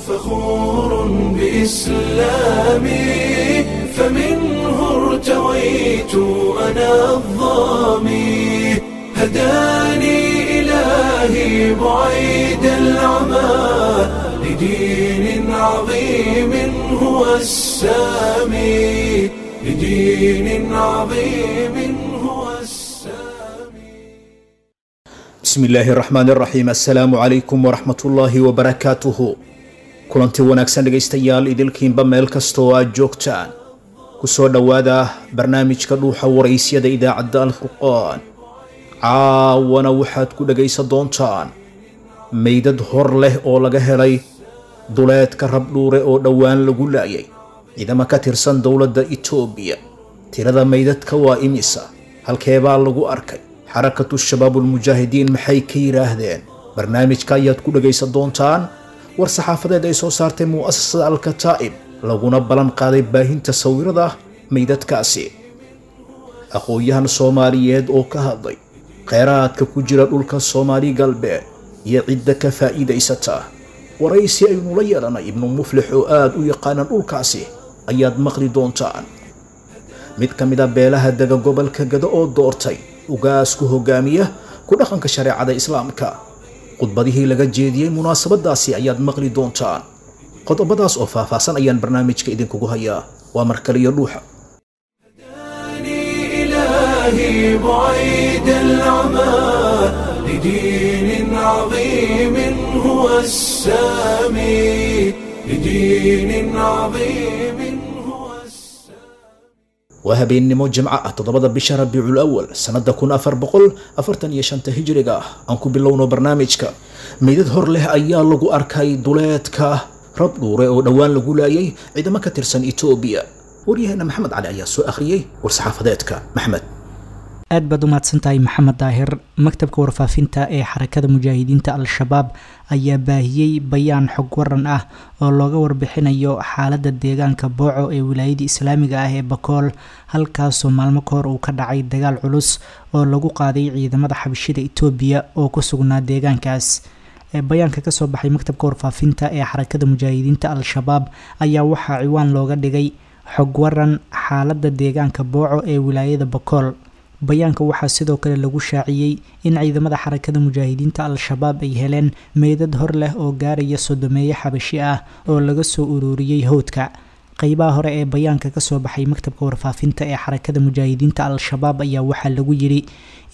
فخور بإسلامي، فمنه ارتويت أنا الظامي، هداني إلهي بعيد العمى لدين عظيم هو السامي، لدين عظيم هو السامي. Bismi illaahi raxmaan raxiim. Assalaamu calaykum waraxmatullaahi wabarakaatuhu. Kulanti wanaagsan dhegaystayaal, idilkiinba meel kasta oo aad joogtaan, kusoo dhowaada barnaamijka Dhuuxa Waraysyada idaacadda Alfurqaan. Caawana waxaad ku dhegaysan doontaan meydad hor leh oo laga helay duleedka Rabdhuure oo dhowaan lagu laayay ciidamo ka tirsan dowladda Itoobiya. Tirada meydadka waa imisa? Halkeebaa lagu arkay? Xarakatu Shabaabulmujaahidiin maxay ka yidhaahdeen? Barnaamijka ayaad ku dhegaysan doontaan war saxaafadeed ay soo saartay mu'asasada Alkataa'ib, laguna ballan qaaday baahinta sawirada meydadkaasi. Aqoon-yahan Soomaaliyeed oo ka hadlay kheyraadka ku jira dhulka Soomaali Galbeed iyo cidda ka faa'iidaysata, waraysi aynula yeelanay Ibnu Muflix oo aada u yaqaana dhulkaasi ayaad maqli doontaan. Mid ka mid a beelaha dega gobolka Gado oo doortay ugaas ku hogaamiya ku dhaqanka shareecada Islaamka, khudbadihii laga jeediyey munaasabadaasi ayaad maqli doontaan. Qodobadaas oo faahfaahsan ayaan barnaamijka idinkugu hayaa. Waa markaliyo Dhuuxa. هداني إلهي بعيد العمى لدين عظيم هو السامي، لدين عظيم هو السامي. Waa habeennimo Jimco ah, 7da bisha Rabiicul Awal, sannada 1445-ta hijriga ah. Aan ku bilowno barnaamijka. Meydad hor leh ayaa lagu arkay duleedka Rabdhuure oo dhowaan lagu laayay ciidamo ka tirsan Itoobiya. Waryaheena Maxamed Cali ayaa soo akhriyey war-saxaafadeedka. Maxmed. Aad baad u mahadsantahay, Maxamed Daahir. Maktabka warfaafinta ee Xarakada Mujaahidiinta Al-Shabaab ayaa baahiyey bayaan xog waran ah oo looga warbixinayo xaalada deegaanka Booco ee wilaayada islaamiga ah ee Bakool, halkaasoo maalmo ka hor uu ka dhacay dagaal culus oo lagu qaaday ciidamada xabashida Itoobiya oo ku sugnaa deegaankaas. Bayaanka kasoo baxay maktabka warfaafinta ee Xarakada Mujaahidiinta Al-Shabaab ayaa waxaa ciwaan looga dhigay xog waran xaalada deegaanka Booco ee wilaayada Bakool. Bayaanka waxaa sidoo kale lagu shaaciyey in ciidamada Xarakada Mujaahidiinta Al-Shabaab ay heleen meydad hor leh oo gaaraya sodomeeye xabashi ah oo laga soo ururiyey howdka. Qeybaha hore ee bayaanka kasoo baxay maktabka warfaafinta ee Xarakada Mujaahidiinta Al-Shabaab ayaa waxaa lagu yiri: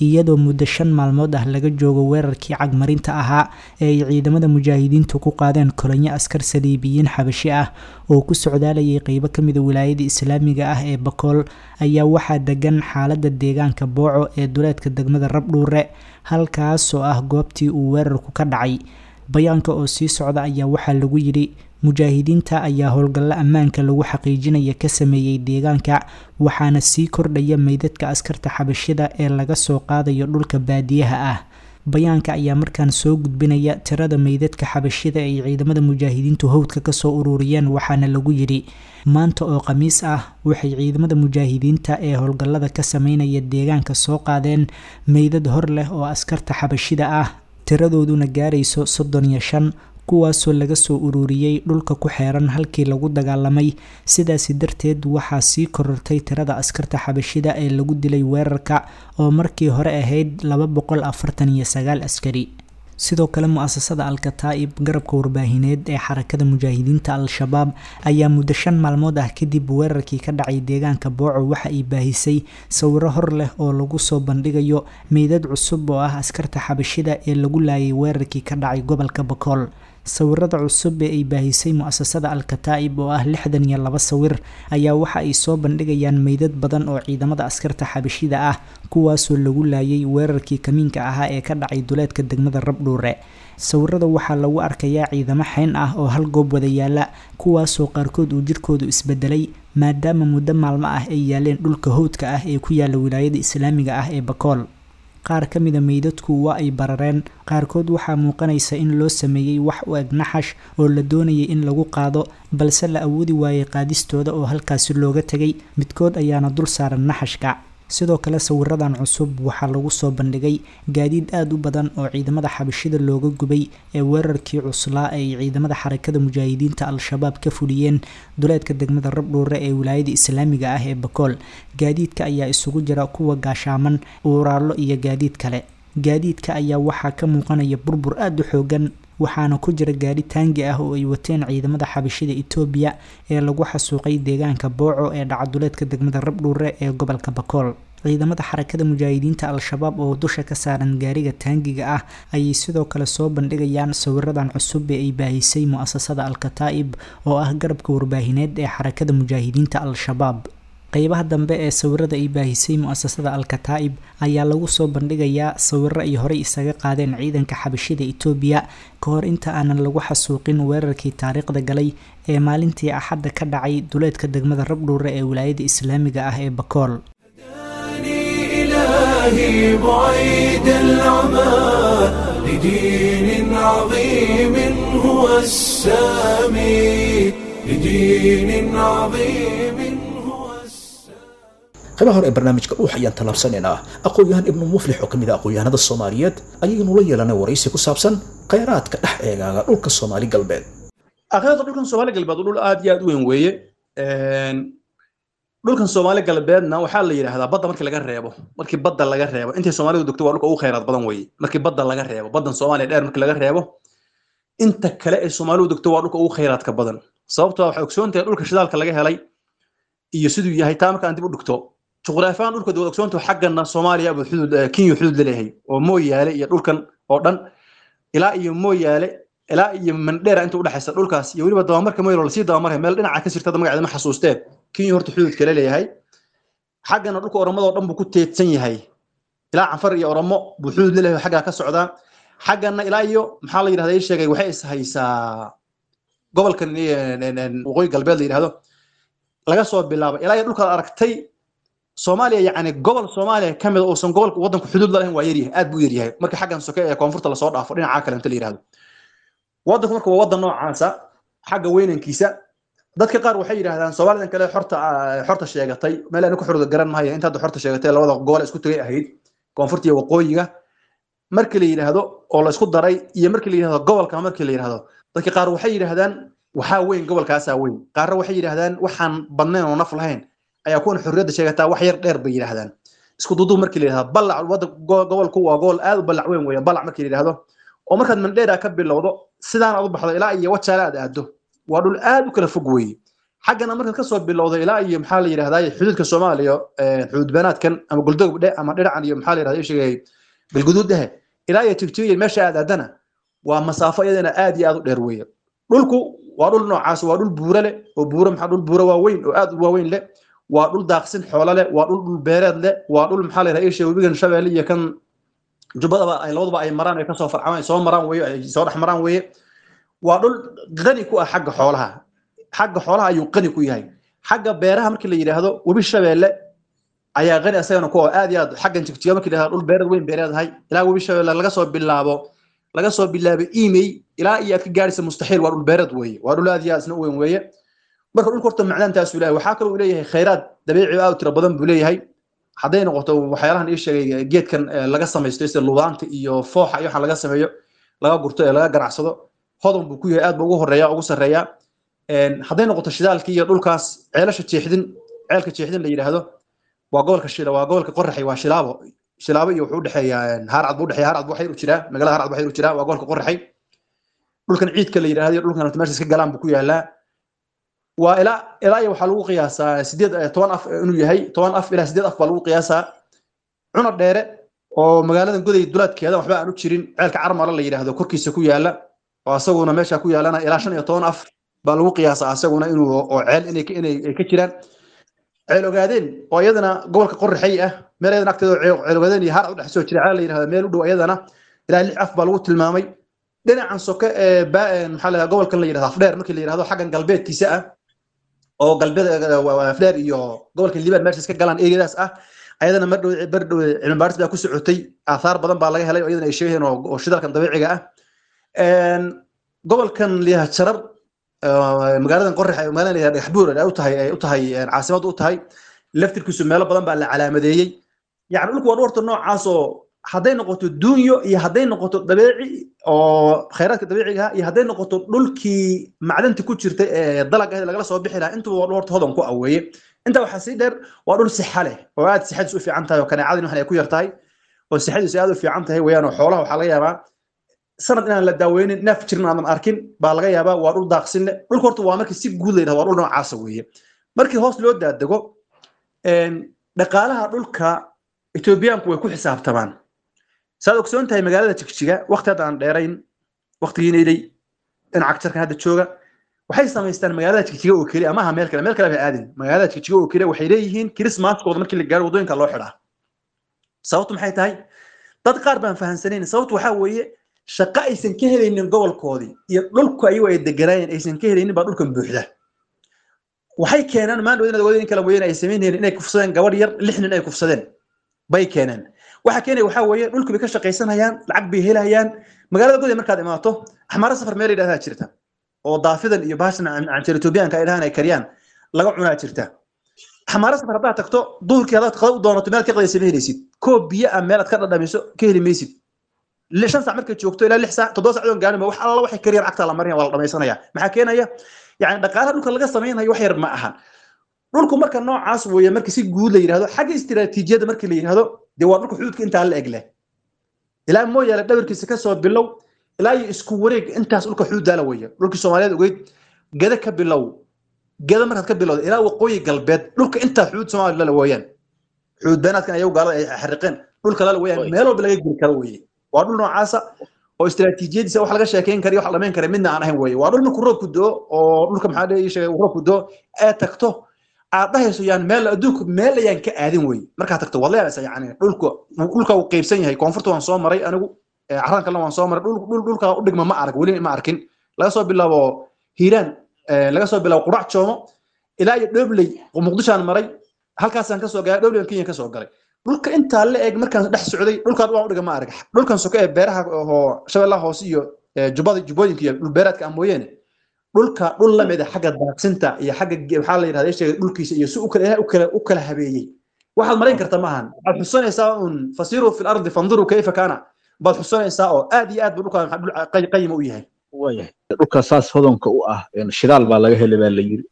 iyadoo muddo 5 maalmood ah laga joogo weerarkii cagmarinta ahaa ee ay ciidamada mujaahidiintu ku qaadeen kolonyo askar saliibiyiin xabashi ah oo ku socdaalayay qeybo kamida wilaayada islaamiga ah ee Bakool, ayaa waxaa degan xaalada deegaanka Booco ee duleedka degmada Rabdhuure, halkaasoo ah goobtii uu weerarku ka dhacay. Bayaanka oo sii socda ayaa waxaa lagu yiri: mujaahidiinta ayaa howlgallo ammaanka lagu xaqiijinaya ka sameeyey deegaanka, waxaana sii kordhaya meydadka askarta xabashida ee laga soo qaadayo dhulka baadiyaha ah. Bayaanka ayaa markaan soo gudbinaya tirada meydadka xabashida ay ciidamada mujaahidiintu howdka kasoo ururiyeen, waxaana lagu yidhi: maanta oo Khamiis ah waxay ciidamada mujaahidiinta ee howlgallada ka sameynaya deegaanka soo qaadeen meydad hor leh oo askarta xabashida ah, tiradooduna gaarayso 35, kuwaasoo laga soo ururiyey dhulka ku xeeran halkii lagu dagaalamay. Sidaasi darteed waxaa sii korortay tirada askarta xabashida ee lagu dilay weerarka oo markii hore ahayd 249 askari. Sidoo kale, mu-asasada Al-Kataa'ib, garabka warbaahineed ee Xarakada Mujaahidiinta Al-Shabaab, ayaa muddo 5 maalmood ah kadib weerarkii ka dhacay deegaanka Booco waxa ay baahisay sawiro hor leh oo lagu soo bandhigayo meydad cusub oo ah askarta xabashida ee lagu laayay weerarkii ka dhacay gobolka Bakool. Sawirada cusub ee ay baahisay mu-asasada Al-Kataa'ib oo ah 62 sawir ayaa waxa ay soo bandhigayaan meydad badan oo ciidamada askarta xabashida ah, kuwaasoo lagu laayay weerarkii kamiinka ahaa ee ka dhacay duleedka degmada Rabdhuure. Sawirada waxaa lagu arkayaa ciidamo xeyn ah oo hal goob wada yaala, kuwaasoo qaarkood uu jirkoodu isbedelay maadaama muddo maalmo ah ay yaaleen dhulka howdka ah ee ku yaala wilaayada islaamiga ah ee Bakool. Qaar ka mida meydadku waa ay barareen, qaarkood waxaa muuqanaysa in loo sameeyey wax u eg naxash oo la doonayay in lagu qaado, balse la awoodi waayey qaadistooda oo halkaasi looga tegay, midkood ayaana dul saaran naxashka. Sidoo kale sawiradan cusub waxaa lagu soo bandhigay gaadiid aada u badan oo ciidamada xabashida looga gubay ee weerarkii cuslaa ay ciidamada Xarakada Mujaahidiinta Al-Shabaab ka fuliyeen duleedka degmada Rabdhuure ee wilaayada islaamiga ah ee Bakool. Gaadiidka ayaa isugu jira kuwa gaashaaman, uuraallo iyo gaadiid kale. Gaadiidka ayaa waxaa ka muuqanaya burbur aada u xoogan, waxaana ku jira gaadhi taangi ah oo ay wateen ciidamada xabashida Itoobiya ee lagu xasuuqay deegaanka Booco ee dhacaduleedka degmada Rabdhuure ee gobolka Bakool. Ciidamada Xarakada Mujaahidiinta Al-Shabaab oo dusha ka saaran gaariga taangiga ah ayay sidoo kale soo bandhigayaan sawiradan cusub ee ay baahisay mu-asasada Al-Kataa'ib oo ah garabka warbaahineed ee Xarakada Mujaahidiinta Al-Shabaab. Qeybaha dambe ee sawirada ay baahisay mu-asasada Al-Kataa'ib ayaa lagu soo bandhigayaa sawiro ay horey isaga qaadeen ciidanka xabashida Itoobiya ka hor inta aanan lagu xasuuqin weerarkii taariikhda galay ee maalintii Axadda ka dhacay duleedka degmada Rabdhuure ee wilaayada islaamiga ah ee Bakool. إلهي بعيد العمى لدين عظيم هو السامي، لدين عظيم هو السامي. Qaybaha hore ee barnaamijka Dhuux ayaan tallaabsanaynaa. Aqoon-yahan Ibnu Muflix oo ka mid ah aqoon-yahanada Soomaaliyeed ayaynu la yeelanay waraysi ku saabsan khayraadka dhex eegaaga dhulka Soomaali Galbeed. Akhiirta, dhulkan Soomaali Galbeed dhul aad iyo aad u weyn weeye. Dhulkan Soomaali Galbeedna waxaa la yidhaahdaa badda markii laga reebo, markii badda laga reebo intay Soomaalidu degto waa dhulka ugu khayraad badan weeye. Markii badda laga reebo, baddan Soomaaliya dheer markii laga reebo, inta kale ee Soomaalidu degto waa dhulka ugu khayraadka badan. Sababtoo waxay ogsoon tahay dhulka shidaalka laga helay iyo siduu yahay. Taa markaan dib u dhigto, juqraafi ahaan dhulka waad ogsoontahay, xaggana Soomaaliya buu xuduud, Kenya xuduud la leeyahay oo Mooyaale iyo dhulkan oo dhan ilaa iyo Mooyaale ilaa iyo Mandheera inta udhexaysa dhulkaas, iyo weliba dabamarka Moylo lasii dabamaraya meel dhinaca ka sirtada, magaceeda ma xasuustee, Kenya horta xuduudka la leeyahay. Xaggana dhulka Oromadoo dhan buu ku teedsan yahay, ilaa Canfar iyo Oromo buu xuduud la leeyahay xaggaa ka socdaa. Xaggana ilaa iyo maxaa la yidhahda ii sheegay, waxay is haysaa gobolkan Waqooyi Galbeed la yidhahdo laga soo bilaabo ilaa iyo dhulkaad aragtay Soomaaliya. Yacni gobol Soomaaliya ka mid uusan gobolka waddanku xuduud la lahayn waa yaryahay, aad buu yaryahay marka xaggan soke ee koonfurta lasoo dhaafo dhinaca kale inta la yidhahdo. Waddanku marka waa waddan noocaasa xagga weynankiisa. Dadka qaar waxay yidhahdaan Soomaalidan kale xorta sheegatay, meel aan ku xorda garan maayo, inta hadda xorta sheegatay labada gobol isku tagay ahayd koonfurta iyo waqooyiga markii la yidhaahdo oo la isku daray, iyo markii la yidhahdo gobolka markii la yidhahdo, dadka qaar waxay yidhaahdaan waxaa weyn gobolkaasaa weyn. Qaarna waxay yidhaahdaan waxaan badnayn oo naf lahayn ayaa kuwan xorriyadda sheegataa wax yar dheer bay yidhaahdaan. Isku duduub markii la yidhahdo ballac wadda gobolku waa gobol aad u ballac weyn weeye. Ballac markii la yidhahdo oo markaad Mandheera ka bilowdo sidaan aad u baxdo ilaa iyo Wajaale aad aado, waa dhul aad u kala fog weeye. Xaggana markaad kasoo bilowdo ilaa iyo maxaa la yidhahdaa xuduudka Soomaaliya, xuduud beenaadkan ama Goldogob dhe ama dhinacan iyo maxaa la yidhahdaa sheegay Galguduud dhehe ilaa iyo Jigjiga meesha aad aadana, waa masaafo iyadana aad iyo aad u dheer weeye. Dhulku waa dhul noocaas, waa dhul buuro leh oo buuro maxaa dhul buuro waaweyn oo aad u waaweyn leh, waa dhul daaqsin xoolo leh, waa dhul dhul beereed leh, waa dhul maxaa la yidhahdaa sheegay webigan Shabeelle iyo kan Jubbadaba ay labadaba ay maraan, ay kasoo farcamaan, ay soo maraan weeye, ay soo dhex maraan weeye. Waa dhul qani ku ah xagga xoolaha, xagga xoolaha ayuu qani ku yahay. Xagga beeraha markii la yidhaahdo webi Shabeelle ayaa qani asagana ku aad iyo aad. Xaggan Jigjiga markii la yidhahdo dhul beereed weyn beereedahay, ilaa webi Shabeelle laga soo bilaabo Imey ilaa iyo aad ka gaaraysa Mustaxiil, waa dhul beereed weeye, waa dhul aad iyo aad isna u weyn weeye. Marka dhulka horta macdantaasuu leeyahay. Waxaa kaloo uu leeyahay khayraad dabiici aad u tiro badan buu leeyahay. Hadday noqoto waxyaalahan ii sheegay geedkan laga samaysto sida lubaanta iyo fooxa iyo waxaan laga sameeyo laga gurto ee laga ganacsado, hodan buu ku yahay, aad buu ugu horeeya, ugu sarreeya. Hadday noqoto shidaalkii iyo dhulkaas ceelasha Jeexdin, ceelka Jeexdin la yidhaahdo waa gobolka Shila, waa gobolka Qoraxay, waa Shilaabo. Shilaabo iyo wuxuu udhexeeyaa Haarcad buu udhexeeya, Haarcad buu xayr u jiraa, magaalada Haarcad buu xayr u jiraa, waa gobolka Qoraxay. Dhulkan Ciidka la yidhaahdo iyo dhulkan meesha iska galaan buu ku yaalaa. Waa ilaa iyo waxaa lagu qiyaasaa 18 af inuu yahay, 10 af ilaa 8 af baa lagu qiyaasaa. Cuna Dheere oo magaaladan Goday dulaadkeeda waxba aan u jirin, ceelka Carmala la yidhaahdo korkiisa ku yaala oo asaguna meesha ku yaalana ilaa 15 af baa lagu qiyaasaa asaguna inuu oo ceel inay ka jiraan. Ceel Ogaadeen oo iyadana gobolka Qoraxay ah, meel iyadana agteeda Ceel Ogaadeen iyo Haar u dhex soo jira ceel la yidhahdo meel u dhow, iyadana ilaa 6 af baa lagu tilmaamay. Dhinacan soke ee maxaa la gobolkan la yidhahdo Afdheer markii la yidhahdo xaggan galbeedkiisa ah oo galbeed Afdheer iyo gobolka Liibaan meesha iska galaan eriyadaas ah, ayadana mar dhow bar dhow cilmi baaris baa ku socotay, aathaar badan baa laga helay oo iyadana ay sheegayeen oo shidaalkan dabiiciga ah. Gobolkan la yidhahdo Jarar, magaaladan Qorax, magaalada la yidhahdo Dhagaxbuur ay u tahay caasimad u tahay, laftirkiisu meelo badan baa la calaamadeeyey. Yacni dhulku waa dhul horta noocaas oo hadday noqoto duunyo iyo hadday noqoto dabiici oo khayraadka dabiiciga ah iyo hadday noqoto dhulkii macdanta ku jirta ee dalagga ahayd lagala soo bixi lahaa, intuba waa dhul horta hodan ku aweeye. Intaa waxaa sii dheer, waa dhul sixa leh oo aad sixadiisu u fiican tahay oo kaneecadin waxan ay ku yar tahay oo sixadiisu aad u fiican tahay weeyaan. Oo xoolaha waxaa laga yaabaa sanad inaan la daaweynin, neef jirin aadan arkin baa laga yaabaa. Waa dhul daaqsin leh dhulka horta. Waa markii si guud la yidhahdo, waa dhul noocaasa weeye. Markii hoos loo daadego, dhaqaalaha dhulka Etoobiyaanku way ku xisaabtamaan. Saad ogsoon tahay, magaalada Jigjiga waqti hadda aan dheerayn, waqtigiina ilay dhinaca jarkan hadda jooga, waxay samaystaan magaalada Jigjiga oo keliya, ama aha meel kale, meel kale bay aadin, magaalada Jigjiga oo keliya waxay leeyihiin Christmaskooda markii la gaaro waddooyinka loo xidhaa. Sababtu maxay tahay? Dad qaar baan fahansanayn. Sababtu waxaa weeye shaqo aysan ka helaynin gobolkoodii iyo dhulku ayagu ay deganaayeen aysan ka helaynin baa dhulkan buuxda. Waxay keenaan maandhow inaad ogaadeen in kala mooyeen ay samaynayeen inay kufsadeen gabadh yar, 6 nin ay kufsadeen bay keeneen. Waxa keenaya waxaa weeye dhulku bay ka shaqaysanayaan, lacag bay helayaan. Magaalada Goday markaad imaato, Axmaaro Safar meel yidhahdaa jirta oo daafidan iyo baashan canjeer Etoobiyaanka ay dhahaan ay kariyaan laga cunaa jirta. Axmaaro Safar haddaad tagto duhurkii, haddaad qada u doonato, meel ka qadaysa ma helaysid. Koob biyo ah meel aad ka dhadhamiso ka heli maysid. 5 saac markay joogto ilaa 6 saac, 7 saac oon gaarin, wax alla waxay kariyaan cagta la marinaya, waa la dhamaysanaya. Maxaa keenaya? Yani dhaqaalaha dhulka laga samaynayo wax yar ma aha. Dhulku marka noocaas weeye marka si guud la yidhahdo. Xagga istiraatiijiyadda markii la yidhahdo, dee waa dhulka xuduudka intaa la eg leh, ilaa Mooyaale dhabarkiisa kasoo bilow ilaa iyo isku wareeg intaas dhulka xuduuddaala weeye. Dhulkii Soomaaliyeed ogeyd, Gada ka bilow, Gada markaad ka bilowda ilaa waqooyi galbeed, dhulka intaa xuduud Soomaaliya lala weeyaan. Xuduud beenaadkan ayagu gaalada ay xariqeen dhulka lala weeyaan, meel walba laga geli karo weeye. Waa dhul noocaasa oo istiraatiijiyadiisa wax laga sheekeyn kara iyo wax la dhamayn kara midna aan ahayn weeye. Waa dhul markuu roobku doo oo dhulka maxaa dhihi sheegay roobku doo ee tagto aad dhahayso yaan meel adduunku meel ayaan ka aadin weeye. Markaad tagto waad la yaabaysaa. Yacni dhulka uu qaybsan yahay. Koonfurta waan soo maray anigu, carran kalena waan soo maray. Dhul dhulka u dhigma ma arag, weli ma arkin. Laga soo bilaabo Hiiraan, laga soo bilaabo Qurac Joomo ilaa iyo Dhobley, Muqdishoaan maray, halkaasaan kasoo galay Dhobley, Kenya kasoo galay. Dhulka intaa la eg markaan dhex socday, dhulkaan waan u dhiga ma arag. Dhulkan soke ee beeraha oo Shabeellaha Hoose iyo Jubbada, Jubbooyinka iyo dhul beereedka ah mooyeene, dhulka dhul la mid ah xagga daaqsinta iyo xagga maxaa la yidhahda sheegay dhulkiisa iyo si u kala Ilaahay u kala habeeyey waxaad marayn karta maahan. Waxaad xusanaysaa un fasiiruu fi lardi fanduruu kayfa kaana baad xusanaysaa, oo aad iyo aad buu dhulkaan dhul qayima u yahay. Waayahay, dhulka saas hodanka u ah, shidaal baa laga helay baa la yiri.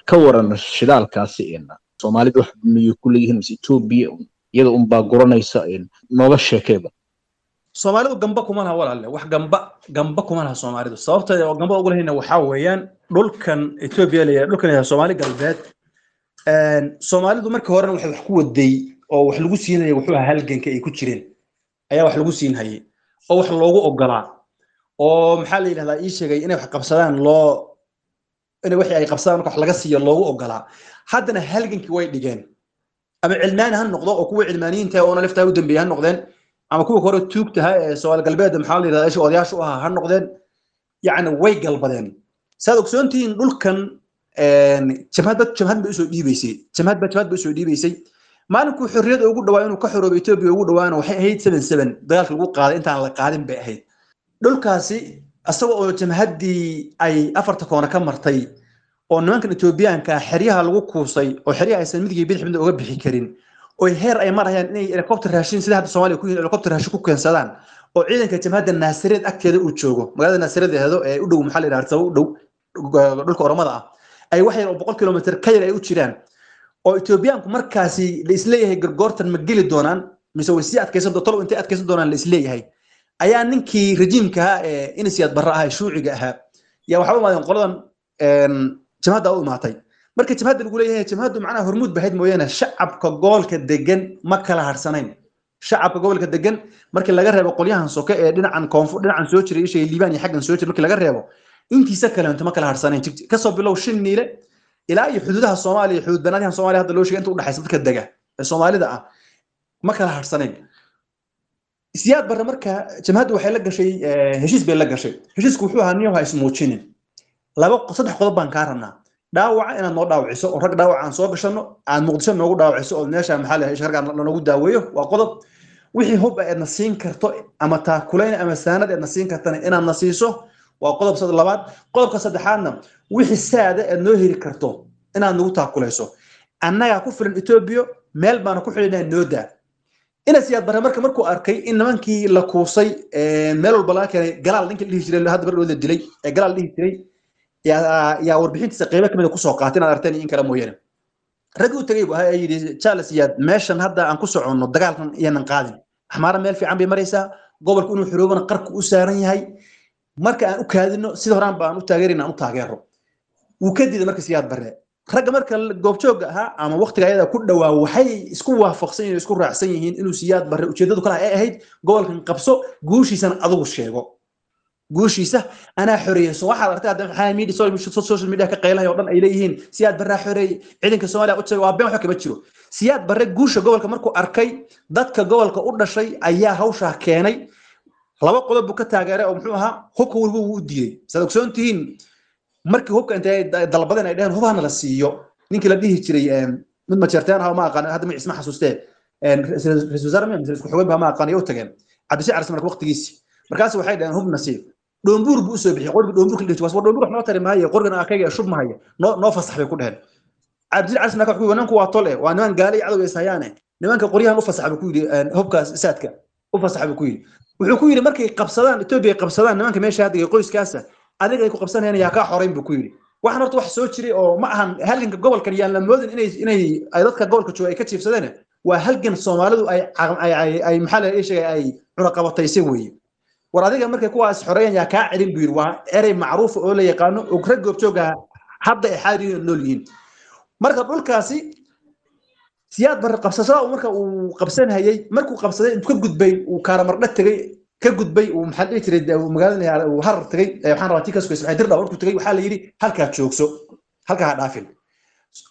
Ka waran shidaalkaasi? Soomaalida wax miyay ku leeyihiin mise Etoobiya iyada unbaa guranaysa? Nooga sheekeeba. Soomaalidu gamba kuma laha, walaalle, wax gamba kuma laha Soomaalidu. Sababta oo gamba ugu lahayna waxaa weeyaan dhulkan Etoobiya la yidhahdo, dhulkan la yidhahdo Soomaali Galbeed, Soomaalidu markii horena waxay wax ku waday oo wax lagu siinayay wuxuu ahaa halganka ay ku jireen ayaa wax lagu siin hayay oo wax loogu ogolaa oo maxaa la yidhahdaa ii sheegay inay wax qabsadaan loo inay wixii ay qabsadaan marka wax laga siiyo loogu ogolaa. Haddana halgankii way dhigeen, ama cilmaani ha noqdo oo kuwa cilmaaniyiinta oona liftaa u dambeeyay ha noqdeen, ama kuwa hore tuugtaha ee Soomaali Galbeed maxaa la yidhahdaa odayaasha u ahaa ha noqdeen, yacni way galbadeen. Saad ogsoontihiin, dhulkan jamhad jamhad bay usoo dhiibaysay, jamhad ba jamhad bay usoo dhiibaysay. Maalinkuu xorriyadda ugu dhawaa inuu ka xoroobo Etoobiya ugu dhawaana waxay ahayd 77 dagaalka lagu qaaday intaan la qaadin bay ahayd. Dhulkaasi isaga oo jamhaddii ay afarta koona ka martay oo nimankan Etoobiyaanka xeryaha lagu kuusay oo xeryaha aysan midig iyo bidix midna uga bixi karin oo heer ay marayaan inay helicopter raashin, sida hadda Soomaaliya ku yihiin, helicopter raashin ku keensadaan oo ciidanka jamhadda Naasareed agteeda uu joogo, magaalada Naasareed ahdo ee u dhow maxaa la yidhahdaa u dhow dhulka Oromada ah, ay wax yar oo 100 kilomitir ka yar ay u jiraan, oo Etoobiyaanku markaasi la isleeyahay gargoortan ma geli doonaan mise way sii adkaysan tolo intay adkaysan doonaan la isleeyahay, ayaa ninkii rejiimka ahaa ee Inisiyaad Barre ahaa ee shuuciga ahaa yaa waxaa u imaadeen qoladan jamhadda u imaatay. Marka jamhadda lagu leeyahay, jamhaddu macnaha hormuud bahayd mooyaane, shacabka gobolka degan ma kala harsanayn. Shacabka gobolka degan markii laga reebo qolyahan soke ee dhinacan koonfur dhinacan soo jiray ishay Liibaan iyo xaggan soo jiray markii laga reebo, intiisa kaleento ma kala harsanayn. Kasoo bilow Shin Niile ilaa iyo xuduudaha Soomaaliya, xuduud banaadyahan Soomaaliya hadda loo sheegay inta u dhaxaysa, dadka dega ee Soomaalida ah ma kala harsanayn. Siyaad Barre marka jamhaddu waxay la gashay heshiis bay la gashay. Heshiisku wuxuu ahaa: niyow, ha ismuujinin, laba saddex qodob baan kaa rabnaa: dhaawaca inaad noo dhaawiciso oo rag dhaawaca aan soo gashano aad Muqdisho noogu dhaawiciso oo meesha maxaa la sharga lanoogu daaweeyo, waa qodob; wixii hub aadna siin karto ama taakulayn ama saanad aadna siin kartana inaad na siiso, waa qodob labaad; qodobka saddexaadna, wixii saada aad noo heli karto inaad nagu taakulayso. Annagaa ku filan Etoobiya, meel baana ku xidhinaa, noo daa. Ina Siyaad Barre marka markuu arkay in nimankii la kuusay meel walba laga keenay, Galaal ninkii la dhihi jiray hadda bardhood la dilay ee Galaal dhihi jiray yaa warbixintiisa qeybo kamid a kusoo qaatay, inaad arteen in kale mooyaane. Raggii u tegay bu ahaa ee yidhi Charles Siyaad, meeshan hadda aan ku soconno dagaalkan iyanan qaadin, Axmaara meel fiican bay maraysaa, gobolku inuu xoroobana qarku u saaran yahay, marka aan u kaadino sida horaan ba aan u taageerayna aan u taageero. Wuu ka diiday marka Siyaad Barre. Ragga marka goobjoogga ahaa ama waqtiga ayada ku dhawaa waxay isku waafaqsan yihiin, isku raacsan yihiin inuu Siyaad Barre ujeedadu kale ay ahayd gobolkan qabso, guushiisana adigu sheego, guushiisa anaa xoreeyey. So waxaad aragtay hadda maxaa media social media ka qaylahay oo dhan ay leeyihiin Siyaad Barre xoreeyey, ciidanka Soomaaliya u tagay, waa been, waxba kama jiro. Siyaad Barre guusha gobolka markuu arkay, dadka gobolka u dhashay ayaa hawshaa keenay. Laba qodob buu ka taageeray oo muxuu ahaa, hubka weliba wuu u diiday. Saad ogsoon tihiin, markii hubka intay dalbadeen ay dheheen hubhana la siiyo, ninkii la dhihi jiray mid majeerteen ah ma aqaan hadda magaciisa ma xasuustee, ra'iisul wasaare mise isku xogeen ba ma aqaan, u tageen Cabdishac Carsi marka waqtigiisi, markaas waxay dheheen hubna siiyo. Dhoombuur buu usoo bixiyey, qorgi dhoombuur la dhihi jiray, war dhoombuur wax noo tari maayo, qorgan akayga shub mahaya, noo fasax bay ku dheheen. Cabdishac Carsi marka wuxuu nimanku waa tol eh, waa niman gaale iyo cadow is hayaane, nimanka qoryahan u fasax buu ku yidhi, hubkaas saadka u fasax buu ku yidhi. Wuxuu ku yidhi markay qabsadaan Etoobiya qabsadaan nimanka meesha hadda qoyskaasa adiga ay ku qabsanayaan yaa kaa xoreyn buu ku yidhi. Waxaan horta wax soo jiray oo ma ahan halganka gobolkan yaan la moodin inay ay dadka gobolka jooga ay ka jiifsadeen, waa halgan Soomaalidu ay ay maxaa la sheegay ay cunaqabataysay weeye. War adiga markay kuwaas xoreeyaan yaa kaa celin buu yidhi. Waa erey macruuf oo la yaqaano oo rag goobjooga hadda ay xaariin nool yihiin. Marka dhulkaasi Siyaad Barre qabsashada uu marka uu qabsanayay, markuu qabsaday intuu ka gudbay uu Kaaramardha tegay, ka gudbay uu maxaa dhihi jiray magaalada uu Harar tegay, waxaan rabaa tii ka sugaysa maxay Dirdhaw markuu tegay waxaa la yidhi halkaa joogso, halkaa ha dhaafin.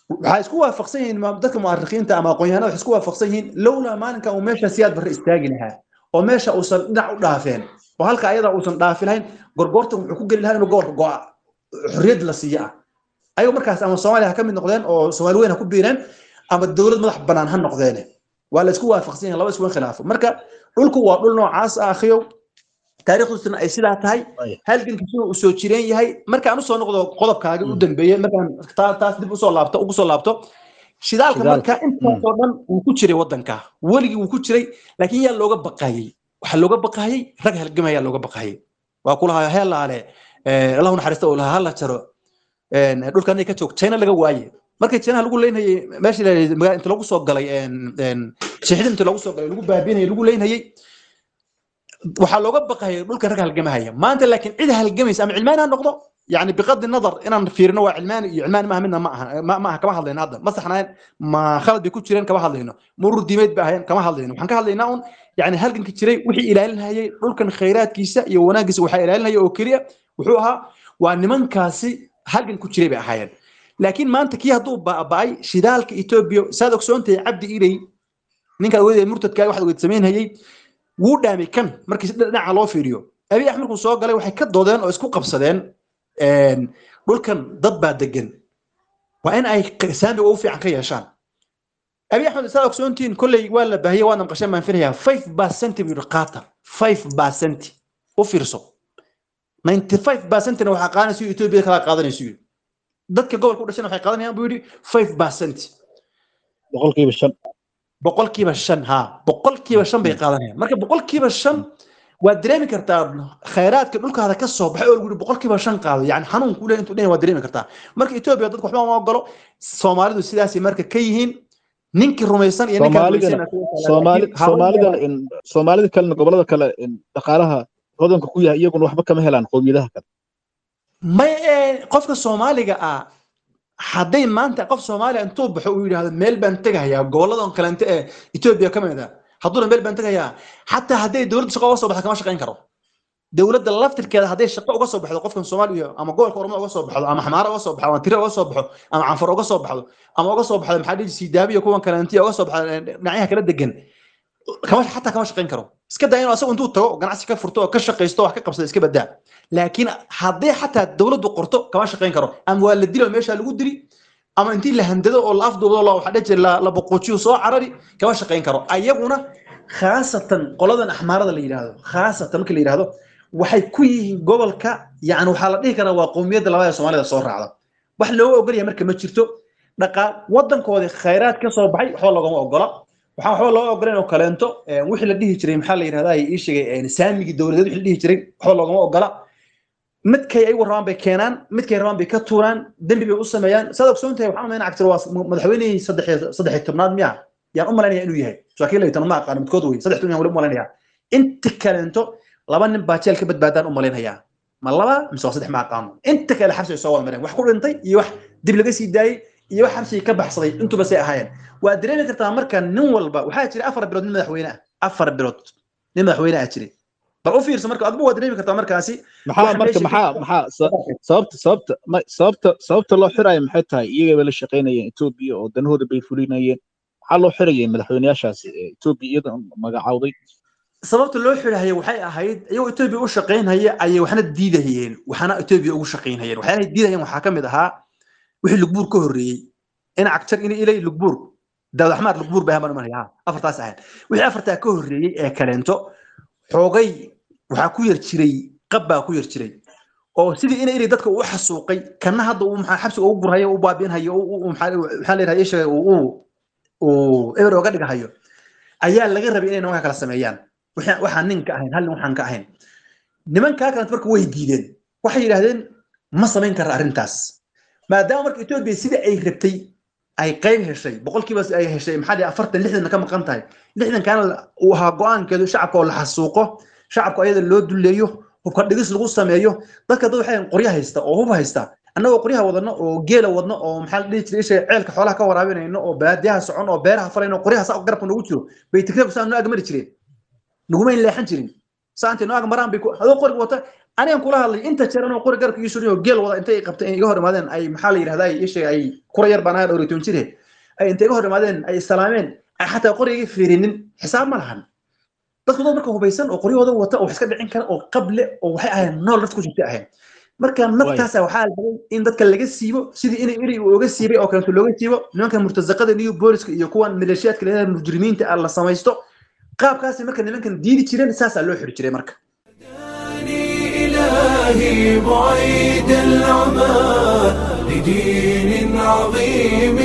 Waxaa isku waafaqsan yihiin dadka mu'arikhiinta ama aqoon-yahanada, waxay isku waafaqsan yihiin lowlaa maalinka uu meesha Siyaad Barre istaagi lahaa oo meesha uusan dhinac u dhaafeen oo halka ayada uusan dhaafi lahayn, gorgortan wuxuu ku geli lahaa inuu gobolka go'a xorriyad la siiyo ah. Ayago markaas ama Soomaaliya ha ka mid noqdeen oo Soomaali weyn ha ku biireen ama dowlad madax bannaan ha noqdeen, waa la isku waafaqsan yahay, laba isku khilaafo. Marka dhulku waa dhul noocaas ah akhiyow, taariikhdiisuna ay sidaa tahay, halgankiisuna uu soo jireen yahay. Marka aan usoo noqdo qodobkaagii u dambeeyey, markaan taas dib usoo laabto ugu soo laabto shidaalka, marka intaasoo dhan wuu ku jiray waddanka, weligii wuu ku jiray, laakiin yaa looga baqayey? Waxaa looga baqayey rag halgamaya looga baqayey. Waa kulahaa heelaale Allahu naxariista uu lahaa hala jaro dhulkan ka joog China laga waaye. Markii China lagu leynayay meeshii inta lagu soo galay sheexida inta lagu soo galay lagu baabiinayay lagu leynayay, waxaa looga baqayay dhulkan rag halgamahaya. Maanta laakiin cid halgamaysa ama cilmaani ha noqdo, yani biqadi nadar inaan fiirino waa cilmaani iyo cilmaani maaha midna ma aha, ma aha, kama hadlayno hadda, ma saxnaayeen ma khalad bay ku jireen kama hadlayno, murur diimeed ba ahayeen kama hadlayno. Waxaan ka hadlaynaa un yani halganka jiray wixii ilaalinayay dhulkan khayraadkiisa iyo wanaagiisa, waxaa ilaalinaya oo keliya wuxuu ahaa waa nimankaasi halgan ku jiray bay ahaayeen. Laakiin maanta kii hadduu baaba'ay shidaalka Etoobiya, saad ogsoontahay Cabdi Ilay ninka ogeyd murtadka waxaad ogeyd samaynayay wuu dhaamay kan. Markii si dhinaca loo fiiriyo Abiy Axmed markuu soo galay waxay ka doodeen oo isku qabsadeen dhulkan dad baa degan, waa in ay saamiga ugu fiican ka yeeshaan. Abiy Axmed saad ogsoontihiin kolley waa la baahiyey, waadna maqasheen baan filayaa, 5% buu yidhi qaata, 5% u fiirso, 95% waxaa qaadanaysa Etoobiya kala qaadanaysa yidhi, dadka gobolka u dhashana waxay qaadanayaan buu yidhi 5%, 5%, 5%, ha 5% bay qaadanayaan. Marka 5% waad dareemi kartaa khayraadka dhulkaada ka soo baxay oo lagu yidhi 5% qaado, yani xanuun kuu leeyahay intuu dhan waad dareemi kartaa. Marka Etoobiya dadku waxba uma ogolo, Soomaalidu sidaasay marka ka yihiin ninkii rumaysan iyo ninkaan rumaysan. Soomaalida kalena gobolada kale dhaqaalaha hodanka ku yahay iyaguna waxba kama helaan qowmiyadaha kale. May qofka Soomaaliga ah hadday maanta qof Soomaaliya intuu baxo uu yidhaahdo meel baan tegahayaa goboladan kalente ee Etoobiya ka mid ah, hadduuna meel baan tegayaa, xataa hadday dowladda shaqo uga soo baxdo kama shaqayn karo. Dowladda laftirkeeda hadday shaqo uga soo baxdo qofkan Soomaaliya ama gobolka Oromada uga soo baxdo ama Xamaara uga soo baxdo ama Tira uga soo baxo ama Canfar uga soo baxdo ama uga soo baxdo maxaa dhihi Siidaabiya kuwan kalentiya uga soo baxdo dhinacyaha kala degan, kama xataa kama shaqayn karo. Iska daa inuu asagu intuu tago ganacsi ka furto oo ka shaqaysto wax ka qabsado iska badaa, laakiin haddii xataa dowladdu qorto kama shaqayn karo, ama waa la dilo meesha lagu dili, ama intii la handado oo la afduubo la waxa dhihi jiray la boqoojiyo soo carari, kama shaqayn karo. Ayaguna khaasatan qoladan Axmaarada la yidhaahdo, khaasatan marka la yidhaahdo waxay ku yihiin gobolka, yani waxaa la dhihi karaa waa qowmiyadda labaad ee Soomaalida soo raacda. Wax looga ogol yahay marka ma jirto, dhaqaal waddankoodii khayraad ka soo baxay waxba loogama ogola. Waxaan waxba loo ogoleen oo kaleento wixii la dhihi jiray, maxaa la yidhahdaa, ii sheegay saamigii dowladeed wixii la dhihi jiray waxba loogama ogola. Midkay ayagu rabaan bay keenaan, midkay rabaan bay ka tuuraan, dembi bay u sameeyaan. Saad ogsoon tahay, waxaan umaynaa Cagtir waa madaxweynihii 13aad miya yaan u malaynaya inuu yahay, saakiin 12 ma aqaano midkood wey, 13 yaan weli u malaynayaa. Inta kaleento 2 nin baa jeel ka badbaadaan u malaynayaa, ma 2 mise waa 3 ma aqaano. Inta kale xabsi ay soo wada mareen, wax ku dhintay iyo wax dib laga sii daayey iyo wax xabsigii ka baxsaday intuba say ahaayeen. Waa dareemi kartaa marka nin walba waxaa jira 4 bilood nin madaxweyne ah, 4 bilood nin madaxweyne ah jiray. Bal u fiirso marka, adba waa dareemi kartaa markaasi. Maxaa marka maxaa maxaa sababta sababta loo xirayo maxay tahay? Iyaga bay la shaqaynayeen Etoobiya oo danahooda bay fulinayeen. Maxaa loo xirayay madaxweyneyaashaasi Etoobiya iyada magacaawday? Sababta loo xirahaya waxay ahayd iyagoo Etoobiya u shaqaynhaya ayay waxna diidahayeen, waxna Etoobiya ugu shaqaynhayeen. Waxyaalahay diidahayeen waxaa ka mid ahaa wixii Lugbuur ka horreeyey, in Cagjar in Ilay, Lugbuur, Daawud Axmaar, Lugbuur bay ahaan baan afartaas ahayn. Wixii afartaa ka horreeyey ee kaleento xoogay waxaa ku yar jiray qab baa ku yar jiray, oo sidii ina Ilay dadka uu xasuuqay kana hadda uu maxaa xabsiga ugu gurhayo, u baabi'inhayo, maxaa la yidhahdaa ii sheegay, uu eber oga dhigahayo ayaa laga rabay inay nimanka kala sameeyaan. Waxaan nin ka ahayn, hal nin waxaan ka ahayn nimankaa kalenta marka way diideen. Waxay yidhaahdeen ma samayn kara arrintaas, maadaama marka Etoobiya sidii ay rabtay ay qayb heshay, boqolkiiba ay heshay, maxaa dhihi, 40, 60 ka maqan tahay. 60kaana uu ahaa go-aankeedu shacabka oo la xasuuqo, shacabka ayada loo duleeyo, hubka dhigis lagu sameeyo dadka. Dad waxay qoryo haysta oo hub haysta, annagoo qoryaha wadano oo geela wadno oo maxaa la dhihi jiray isha ceelka xoolaha ka waraabinayno oo baadiyaha socon oo beeraha falayno, qoryaha saa garabka noogu jiro bay Tigreegu saa noo agmari jireen, nagumayn leexan jirin. Saa intay noo agmaraan bay adoo qoriga wata. Anigan kula hadlay inta jeer anoo qori garabka ii surin oo geel wada intay qabtay iga hor imaadeen, ay maxaa la yidhahdaa ii sheegay, ay kura yar baan ahaa, 14 jire, ay intay iga hor imaadeen ay salaameen, ay xataa qoriga iga fiirinin, xisaab ma lahan. Dadku dad marka hubaysan oo qoryahooda wata oo wax iska dhicin kara oo qable oo waxay ahayn nool nafta ku jirtay ahayn. Marka naftaasa waxaa la rabay in dadka laga siibo sidii inay eri uu oga siibay oo kaleeto looga siibo nimanka murtazaqada iyo booliska iyo kuwan maleeshiyaadka leedahay mujrimiinta ah la samaysto. Qaabkaasi marka nimankan diidi jireen saasaa loo xiri jiray marka. إلهي بعيد العمى لدين عظيم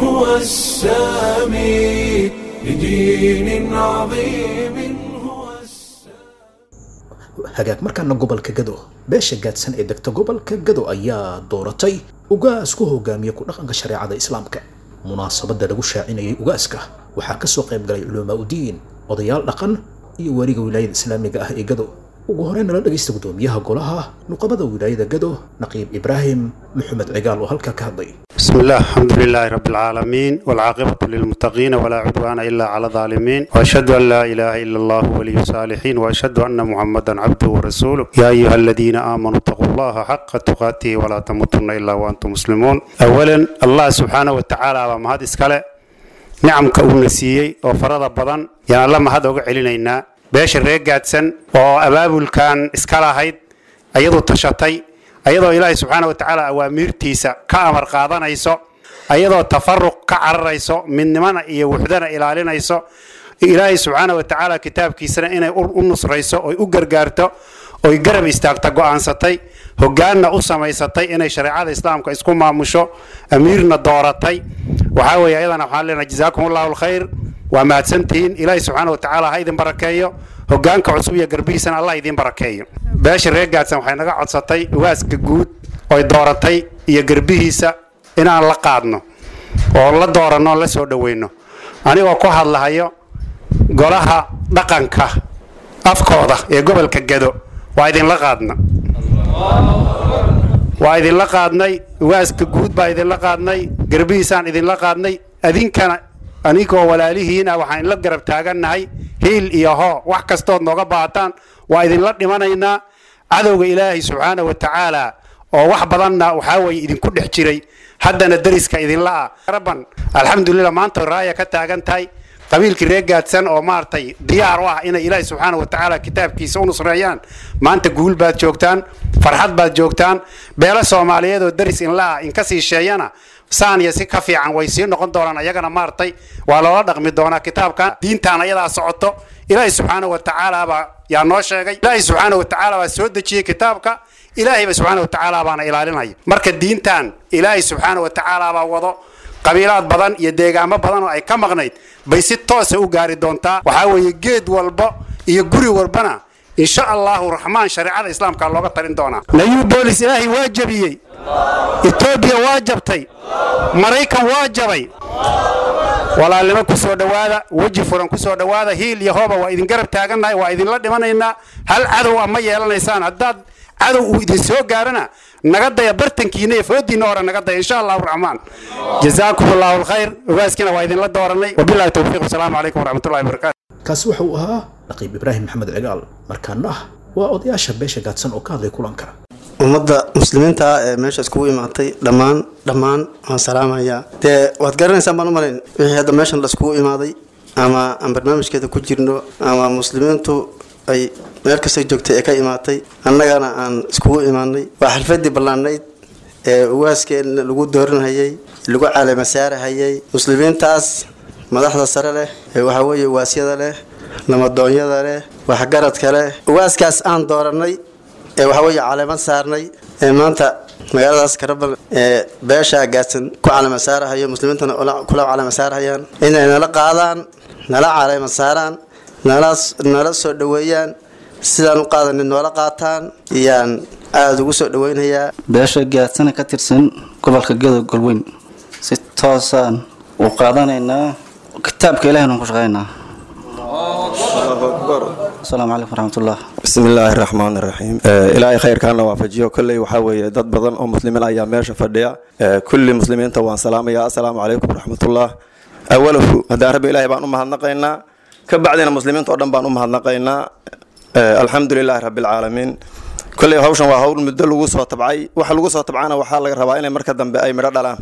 هو السامي، لدين عظيم هو السامي. Hagaag, markaana gobolka Gado. Beesha Gaadsan ee degta gobolka Gado ayaa dooratay ugaas ku hogaamiya ku dhaqanka shareecada Islaamka. Munaasabadda lagu shaacinayay ugaaska waxaa kasoo qayb galay culamaa udiin, odayaal dhaqan iyo wariga wilaayada islaamiga ah ee Gado. Ugu horreyn nala dhagaysta gudoomiyaha golaha nuqabada wilaayada Gado, Naqiib Ibraahim Maxamed Cigaal, oo halkaa ka hadlay. بسم الله، الحمد لله رب العالمين، والعاقبة للمتقين، ولا عدوان إلا على الظالمين، وأشهد أن لا إله إلا الله ولي الصالحين، وأشهد أن محمدا عبده ورسوله. يا أيها الذين آمنوا اتقوا الله حق تقاته ولا تموتن إلا وأنتم مسلمون. أولا الله سبحانه وتعالى وما هذا إسكاله نعم كأونسيي وفرض بدن يا الله ما هذا وقع beesha reer Gaadsan oo abaabulkan iska lahayd, ayadoo tashatay, ayadoo Ilaahay subxaana wa tacaala awaamiirtiisa ka amar qaadanayso, ayadoo tafaruq ka cararayso, midnimana iyo wuxdana ilaalinayso, Ilaahay subxaana wa tacaala kitaabkiisana inay u nusrayso oy u gargaarto oy garab istaagta go'aansatay, hoggaanna u samaysatay inay shareecada Islaamka isku maamusho, amiirna dooratay. Waxaa weeye ayadana waxaan leenahay jazaakum Allahu alkhayr, waa mahadsantihiin. Ilaahay subxaana wa tacaala ha idin barakeeyo, hoggaanka cusub iyo garbihiisana Allah idin barakeeyo. Beesha reer Gaadsan waxay naga codsatay ugaaska guud oy dooratay iyo garbihiisa inaan la qaadno oo la dooranno, la soo dhoweyno. Anigoo ku hadlahayo golaha dhaqanka afkooda ee gobolka Gado, waa idinla qaadna, waa idinla qaadnay. Ugaaska guud baa idinla qaadnay, garbihiisaan idinla qaadnay. Adinkana anigoo walaalihiina waxaan idinla garab taagannahay hiil iyo hoo. Wax kastood nooga baahataan waa idinla dhimanaynaa. Cadowga Ilaahay subxaana wa tacaala oo wax badanna waxaa weeye idinku dhex jiray, haddana deriska idinla ah rabban, alxamdulilah, maanta raaya ka taagan tahay qabiilkii reer Gaadsan oo maaragtay diyaar u ah inay Ilaahay subxaana wa tacaala kitaabkiisa u nusreeyaan. Maanta guul baad joogtaan, farxad baad joogtaan. Beelo Soomaaliyeed oo deris inla ah inka sii sheeyana saan iyo si ka fiican way sii noqon doonaan. Ayagana maaragtay waa loola dhaqmi doonaa kitaabkan. Diintaan ayadaa socoto, Ilaahay subxaana wa tacaala baa yaa noo sheegay. Ilaahay subxaana wa tacaala baa soo dejiyey kitaabka, Ilaahayba subxaana wa tacaala baana ilaalinaya. Marka diintan Ilaahay subxaana wa tacaala baa wado. Qabiilaad badan iyo deegaamo badan oo ay ka maqnayd bay si toosa u gaari doontaa. Waxaa weeye geed walba iyo guri walbana insha Allahu Raxmaan shareecada Islaamka looga talin doonaa. Nayu boolis Ilaahay waa jabiyey, Etoobiya waa jabtay, Maraykan waa jabay. Walaalnimo ku soo dhowaada, weji furan ku soo dhowaada. Hiil iyo hooba waa idin garab taagannahay, waa idinla dhimanaynaa. Hal cadow ah ma yeelanaysaan. Haddaad cadow uu idin soo gaarana, naga daya bartankiina iyo foodiinna hore naga daya, insha Allahu Raxmaan. Jazaakum Allahu alkhayr. Ogaaskiina waa idinla dooranay. Wabillahi towfiiq, wasalaamu calaykum waraxmatullahi wabarakaatu. Kaasi waxa uu ahaa Naqiib Ibraahim Maxamed Cigaal. Markaana ah waa odayaasha beesha Gaadsan oo ka hadlay kulanka. Ummadda muslimiinta ah ee meesha iskugu imaatay dhammaan dhammaan waan salaamayaa. Dee waad garanaysaan baan u malayn wixii hadda meeshan la iskugu imaaday ama aan barnaamijkeeda ku jirno ama muslimiintu ay meel kastay joogtay ee ka imaatay, annagana aan iskugu imaanay. Waa xalfadii ballaanayd ee ugaaskeena lagu dooranhayay, lagu caleema saarahayay. Muslimiintaas madaxda sare leh ee waxaa weeye ugaasyada leh, namadoonyada leh, waxgaradka leh, ugaaskaas aan dooranay ee waxaa weeye caleema saarnay ee maanta magaaladaas Karabal ee beesha Gaadsan ku caleema saarahayo, muslimiintana kula caleema saarahayaan, inay nala qaadaan, nala caleema saaraan, nala soo dhoweeyaan, sidaan u qaadanay noola qaataan iyaan aada ugu soo dhaweynayaa. Beesha Gaadsana ka tirsan gobolka Gedo Golweyn si toosaan u qaadanaynaa, kitaabka Ilahina ku shaqeynaa. Asalaamu calaykum waraxmatullah. Bismi illaahi raxmaan raxiim. Ilaahay khayrkaana waafajiyo. Kolley waxaa weeye dad badan oo muslimiin ayaa meesha fadhiya. Kulli muslimiinta waan salaamayaa. Assalaamu calaykum waraxmatullah. Awalahu haddaan Rabbi Ilaahay baan u mahadnaqaynaa, ka bacdina muslimiinta oo dhan baan u mahadnaqaynaa. Alxamdu lilaahi rabbi alcaalamiin. Kolley hawshan waa hawl muddo lagu soo tabcay. Waxa lagu soo tabcana waxaa laga rabaa inay marka dambe ay midho dhalaan.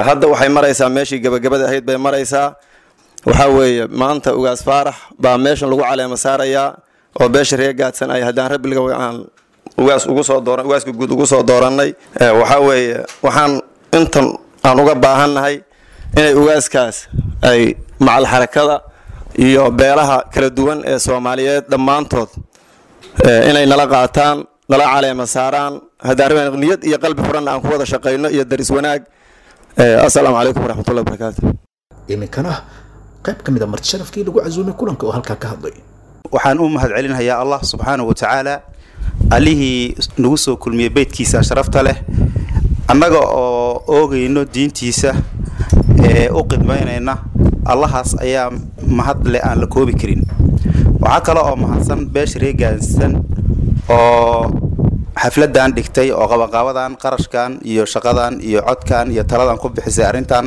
Hadda waxay maraysaa meeshii gabagabada ahayd bay maraysaa. Waxaa weeye maanta Ugaas Faarax baa meeshan lagu caleema saarayaa oo beesha reer Gaadsan ay haddaan Rabbiga aan ugaas ugu soo dooran, ugaaska guud ugu soo doorannay. Waxaa weeye waxaan intan aan uga baahannahay inay ugaaskaas ay macal xarakada iyo beelaha kala duwan ee Soomaaliyeed dhammaantood inay nala qaataan, nala caleema saaraan, haddaan rabbi niyad iyo qalbi furanna aan ku wada shaqayno iyo daris wanaag. Assalaamu calaykum waraxmatullahi wabarakaatu. Iminkana qayb ka mid a marti sharafkii lagu casuumay kulanka oo halkaa ka hadlay. Waxaan u mahadcelinayaa Allah subxaanahu wa tacaala, allihii nagu soo kulmiyey beydkiisa sharafta leh, annaga oo oogayno diintiisa ee u qidmaynayna. Allahaas ayaa mahad leh aan la koobi karin. Waxaa kale oo mahadsan beesha reer Gaadsan oo xafladan dhigtay oo qabanqaabadan, qarashkan iyo shaqadan iyo codkan iyo taladan ku bixisay arrintan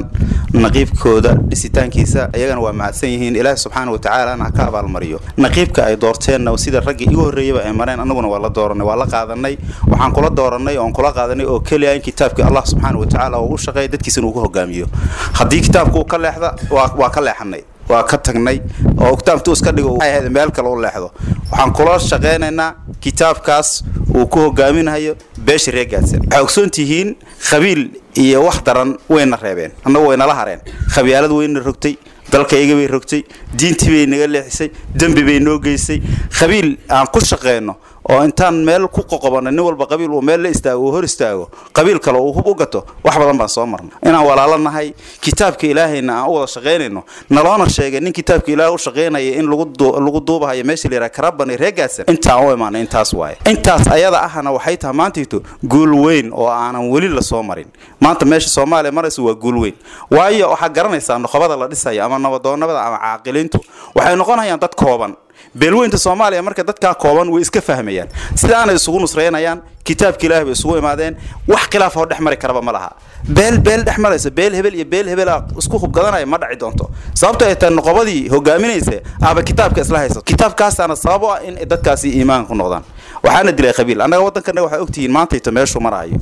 naqiibkooda dhisitaankiisa. Iyagana waa mahadsan yihiin, Ilaahi subxaana wa tacaalana ha ka abaalmariyo. Naqiibka ay doorteenna sida raggii igu horreeyaba ay mareen, annaguna waa la dooranay, waa la qaadanay. Waxaan kula dooranay oon kula qaadanay oo keliya in kitaabkii Allah subxaana wa tacaala uu u shaqeeyo, dadkiisana uu ku hogaamiyo. Haddii kitaabku uu ka leexda, waa ka leexanay, waa ka tagnay, oo kitaabtu iska dhigo ahayd meel kale u leexdo. Waxaan kula shaqeynaynaa kitaabkaas uu ku hogaaminayo beesha reer Gaadsan. Waxay ogsoon tihiin qabiil iyo wax daran wayna reebeen, annagu waynala hareen. Khabyaalad wayna rogtay, dalkayga bay rogtay, diintii bay naga leexisay, dembi bay noo geysay. Qabiil aan ku shaqeyno oo intaan meel ku qoqobanno, nin walba qabiil uu meel la istaago, uu hor istaago qabiil kale uu hub u gato, wax badan baan soo marnay. Inaan walaalo nahay, kitaabka Ilaahayna aan u wada shaqaynayno, naloona sheegay nin kitaabka Ilaahay u shaqaynaya in lagu duubahayo meesha la yidhaha Karaban iyo reer Gaadsan. Intaan u imaanay intaas waaye. Intaas ayada ahna waxay tahay maantayto guul weyn oo aanan weli la soo marin. Maanta meesha Soomaaliya maraysa waa guul weyn, waayo waxaa garanaysaa noqobada la dhisayo ama nabadoonnada ama caaqiliintu waxay noqonayaan dad kooban. Beelweynta Soomaaliya marka dadkaa kooban way iska fahmayaan, sidaanay isugu nusraynayaan, kitaabka Ilaahay bay isugu imaadeen. Wax khilaaf oo dhex mari karaba ma laha. Beel beel dhex maraysa, beel hebel iyo beel hebel isku hubgadanaya ma dhaci doonto, sababto ay tahay noqobadii hogaaminaysa aba kitaabka isla haysato. Kitaabkaasaana sabab u ah in dadkaasi iimaan ku noqdaan. Waxaana dilay qabiil. Annaga waddankanaga waxaa ogtihiin maantayto meeshuu maraayo.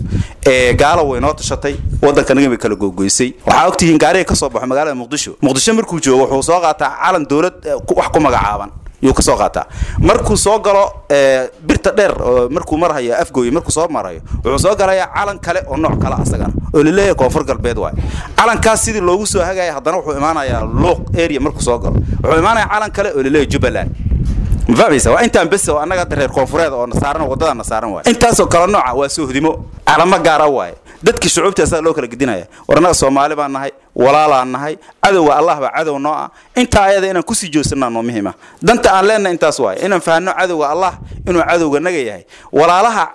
Ee gaalo way noo tashatay, waddankanaga bay kala googoysay. Waxaa ogtihiin gaariga ka soo baxo magaalada Muqdisho, Muqdisho markuu joogo wuxuu soo qaataa calan dowlad wax ku magacaaban yuu ka soo qaataa. Markuu soo galo birta dheer oo markuu marhayo Afgooy, markuu soo marayo wuxuu soo galayaa calan kale oo nooc kale asagana oo laleeyahay Koonfur Galbeed waay. Calankaas sidii loogu soo hagaya, haddana wuxuu imaanayaa Luuq area, markuu soo galo wuxuu imaanayaa calan kale oo laleeyahay Jubbaland. Ma fahmaysa? Waa intaan bes oo annaga hadda reer koonfureed oo nasaaran waddada nasaaran waay. Intaasoo kale nooca waa soohdimo, calamo gaara waaye. Dadkii shucuubta asaga loo kala gedinaya. War annaga Soomaali baan nahay, Walaalaan nahay, cadowga Allah baa cadow noo ah. Intaa ayada inaan kusii joogsanaa noo muhiima. Danta aan leenahay intaas waaye, inaan fahanno cadowga Allah inuu cadowga naga yahay, walaalaha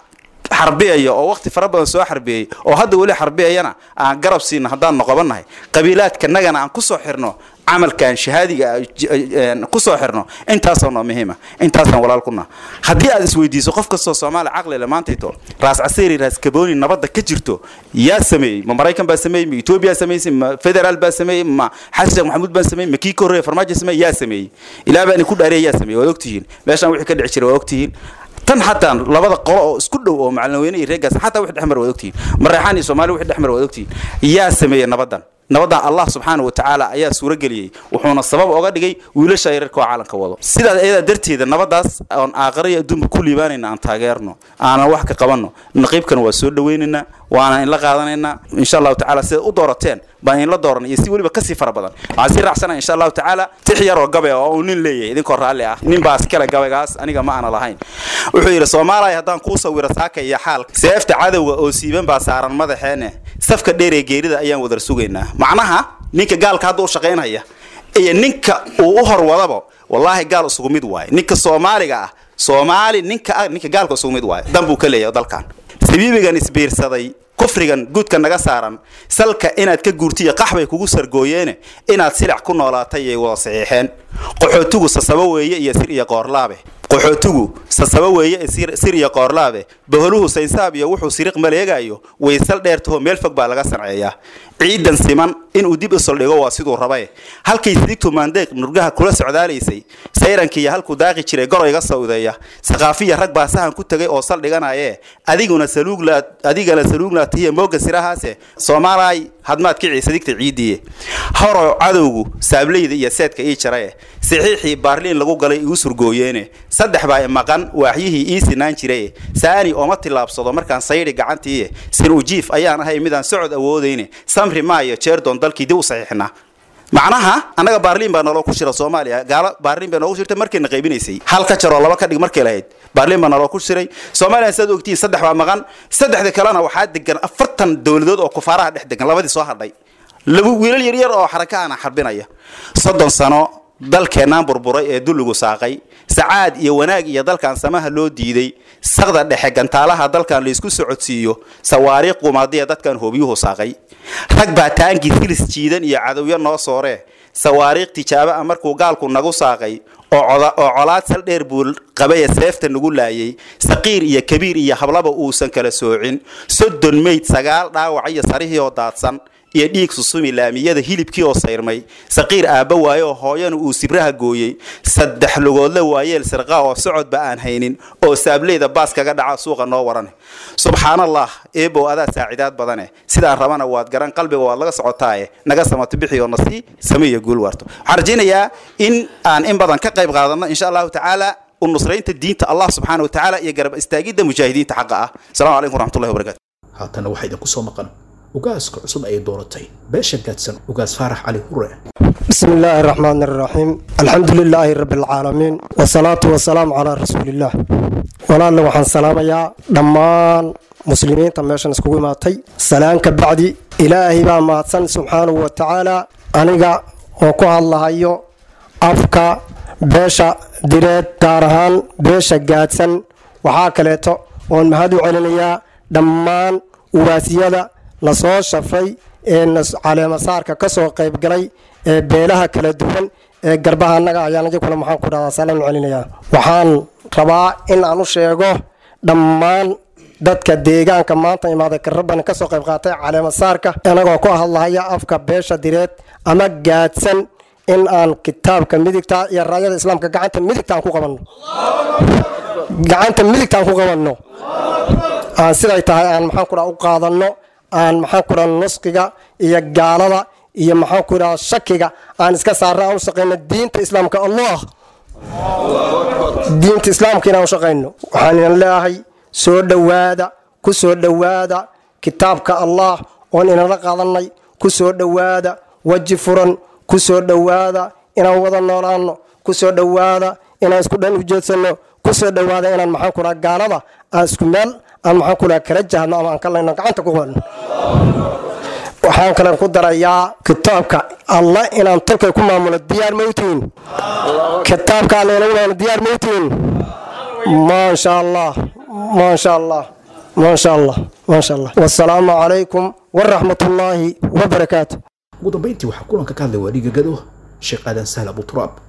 xarbiyaya oo waqti fara badan soo xarbiyey oo hadda weli xarbiyayana aan garab siino haddaan noqobannahay, qabiilaadka nagana aan kusoo xirno camalkan shahaadiga kusoo xirno. Intaasoo noo muhiima, intaasaan walaal ku naha. Haddii aad isweydiiso qof kastoo Soomaali caqli le maantayto, Raas Casiiri, Raas Kabooni nabadda ka jirto yaa sameeyey? Ma Maraykan baa sameeyey? Ma Etoobiya sameysay? Ma federaal baa sameeyey? Ma Xasan Sheekh Maxamuud baa sameeyey? Ma kii ka horreeya Farmaajo sameeyey? Yaa sameeyey? Ilaa baan ku dhaariyay, yaa sameeyey? Waad ogtihiin meeshaan wixii ka dhici jiray, waa ogtihiin tan. Xataa labada qolo oo isku dhow oo Macalinweyne iyo reegaas xataa wixii dhexmar waad ogtihiin, Mareexaan iyo Soomaali wixii dhexmar waad ogtihiin. Yaa sameeyey nabaddan? Nabaddan Allah subxaana wa tacaala ayaa suuro geliyey, wuxuuna sabab oga dhigay wiilasha yararka oo caalamka wado. Sidaas ayadaa darteeda nabaddaas oon aakhira iyo adduunba ku liibaanayna aan taageerno, aanan wax ka qabanno. Naqiibkana waa soo dhawaynaynaa, waana inla qaadanaynaa insha Allahu tacala. Sidaad u doorateen baan inla dooranay iyo si weliba kasii fara badan. Waxaan sii raacsana insha Allahu tacaala tix yar oo gabay oo uu nin leeyahay, idinkoo raalli ah. Nin baa iskale gabaygaas, aniga ma aana lahayn. Wuxuu yidhi: Soomaaliya haddaan kuu sawiro saaka iyo xaal, seefta cadowga oo siiban baa saaran madaxeene, safka dheer ee geerida ayaan wadar sugaynaa. Macnaha ninka gaalka hadda u shaqaynaya iyo ninka uu u horwadaba, wallaahi gaal isugu mid waaye. Ninka Soomaaliga ah, Soomaali ninka ah, ninka gaalka isugu mid waaye, dan buu ka leeyahay dalkan. Sabiibigan isbiirsaday, kufrigan guudka naga saaran, salka inaad ka guurtiyo qaxbay kugu sargooyeene, inaad silac ku noolaatay ay wada saxiixeen. Qaxootigu sasabo weeye iyo sir iyo qoorlaabe, qaxootigu sasabo weeye sir iyo qoorlaabe, boholuhu saynsaab iyo wuxuu siriq maleegayo, waysal dheertaho meel fog baa laga sanceeyaa. Ciidan siman inuu dib u saldhigo waa siduu rabaye, halkay sidigtu maandeeq nurgaha kula socdaalaysay, sayrankiiyo halkuu daaqi jiray goroyga sawdeeya, saqaafiya rag baa sahan ku tegay oo saldhiganaye, adiguna saluugla, adigana saluugnaa tihiya mooga sirahaase. Soomaalaay hadmaad kicii sadigta ciidiye horo, cadowgu saableyda iyo seedka ii jaraye, saxiixii Baarliin lagu galay igu surgooyeene, saddex baa imaqan waaxyihii ii sinaan jiraye, saani ooma tillaabsado markaan saydhi gacantiiye, sin ujiif ayaan ahay midaan socod awoodayne, samri maayo jeerdoon dalkii dib u saxiixnaa. Macnaha annaga Baarliin baa naloo ku shira Soomaaliya, gaalo Baarliin baa noogu shirtay markayna qaybinaysay, hal ka jaroo laba ka dhig markay lahayd, Baarliin baa naloo ku shiray Soomaaliya. Sidaad ogtihiin saddex baa maqan, saddexda kalena waxaa degan 40 dowladood oo kufaaraha dhex degan. Labadii soo hadhay laba wiilal yaryar oo xarakaana xarbinaya. 30 sano dalkeennaan burburay ee dulligu saaqay, sacaad iyo wanaag iyo dalkan samaha loo diiday, saqda dhexe gantaalaha dalkan laysku socodsiiyo, sawaariikh qumaadiya dadkan hoobiyuhu saaqay, rag baa taangii silis jiidan iyo cadowyo noo sooree, sawaariikh tijaabo ah markuu gaalku nagu saaqay oo colaad sal dheer buu qabaya seefta nagu laayay, saqiir iyo kabiir iyo hablaba uusan kala soocin, 30 meyd 9 dhaawac iyo sarihii oo daadsan iyo dhiig susumi laamiyada hilibkii oo sayrmay, saqiir aabba waaye oo hooyana uu sibraha gooyey, saddex lugoodle waayeel sirqa oo socodba aan haynin oo saableyda baas kaga dhaca suuqa noo warane. Subxaanallah, eebow adaa saacidaad badane, sidaan rabana waad garan, qalbiga waad laga socotaaye, naga samato bixi oo nasii sameeya guul waarto. Waxaan rajaynayaa in aan in badan ka qayb qaadano insha Allahu tacaala u nusraynta diinta Allah subxaana wa tacaala iyo garab istaagidda mujaahidiinta xaqa ah. Asalaamu calaykum waraxmatullahi wabarakatu. Haatanna waxaa idinku soo maqan ugaaska cusub ay dooratay beesha Gaadsan, Ugaas Faarax Cali Hure. بسم الله الرحمن الرحيم، الحمد لله رب العالمين، والصلاة والسلام على رسول الله. Walaal, waxaan salaamayaa dhammaan muslimiinta meeshan iskugu imaatay. Salaan ka bacdi, Ilaahay baa mahadsan subxaanahu wa tacaala. Aniga oo ku hadlahayo afka beesha Direed, gaar ahaan beesha Gaadsan, waxaa kaleeto oon mahad u celinayaa dhammaan ugaasiyada lasoo shafay ee caleemasaarka ka soo qaybgalay ee beelaha kala duwan ee garbaha annaga ayaan iyaguna, maxaan ku dhahdaa, salaan u celinayaa. Waxaan rabaa in aan u sheego dhammaan dadka deegaanka maanta imaaday karabani ka soo qayb qaatay caleemasaarka, anagoo ku hadlahaya afka beesha Direed ama Gaadsan, in aan kitaabka midigta iyo raayada islaamka gacanta midigta aan ku qabanno, gacanta midigta aan ku qabanno, aan siday tahay aan, maxaan ku dhaha, u qaadanno, aan, maxaan ku dhaha, nusqiga iyo gaalada iyo, maxaan ku dhaha, shakiga aan iska saarno, aan u shaqayno diinta islaamka, Allah diinta islaamka inaan u shaqayno. Waxaan inan leeyahay soo dhowaada, ku soo dhowaada kitaabka Allah oon inala qaadanay, ku soo dhowaada weji furan, ku soo dhowaada inaan wada noolaano, ku soo dhowaada inaan isku dhan ujeedsanno, ku soo dhowaada inaan, maxaan ku dhaha, gaalada aan isku meel aan, maxaan ku dhaha, kala jahno ama aan ka layno gacanta ku qabanno. Waxaan kalen ku darayaa kitaabka Alla inaan tolkay ku maamulo. Diyaar mawtiin? Kitaabka Alla inagu maamulo diyaar mawtiin? Maasha Allah, maasha Allah, maasha Allah, maasha Allah. Wasalaamu calaykum waraxmatullaahi wabarakaatu. Ugu dambeyntii waxaa kulanka ka hadlay waadhiga Gado, Sheekh Aadan Sahl Abuturaab.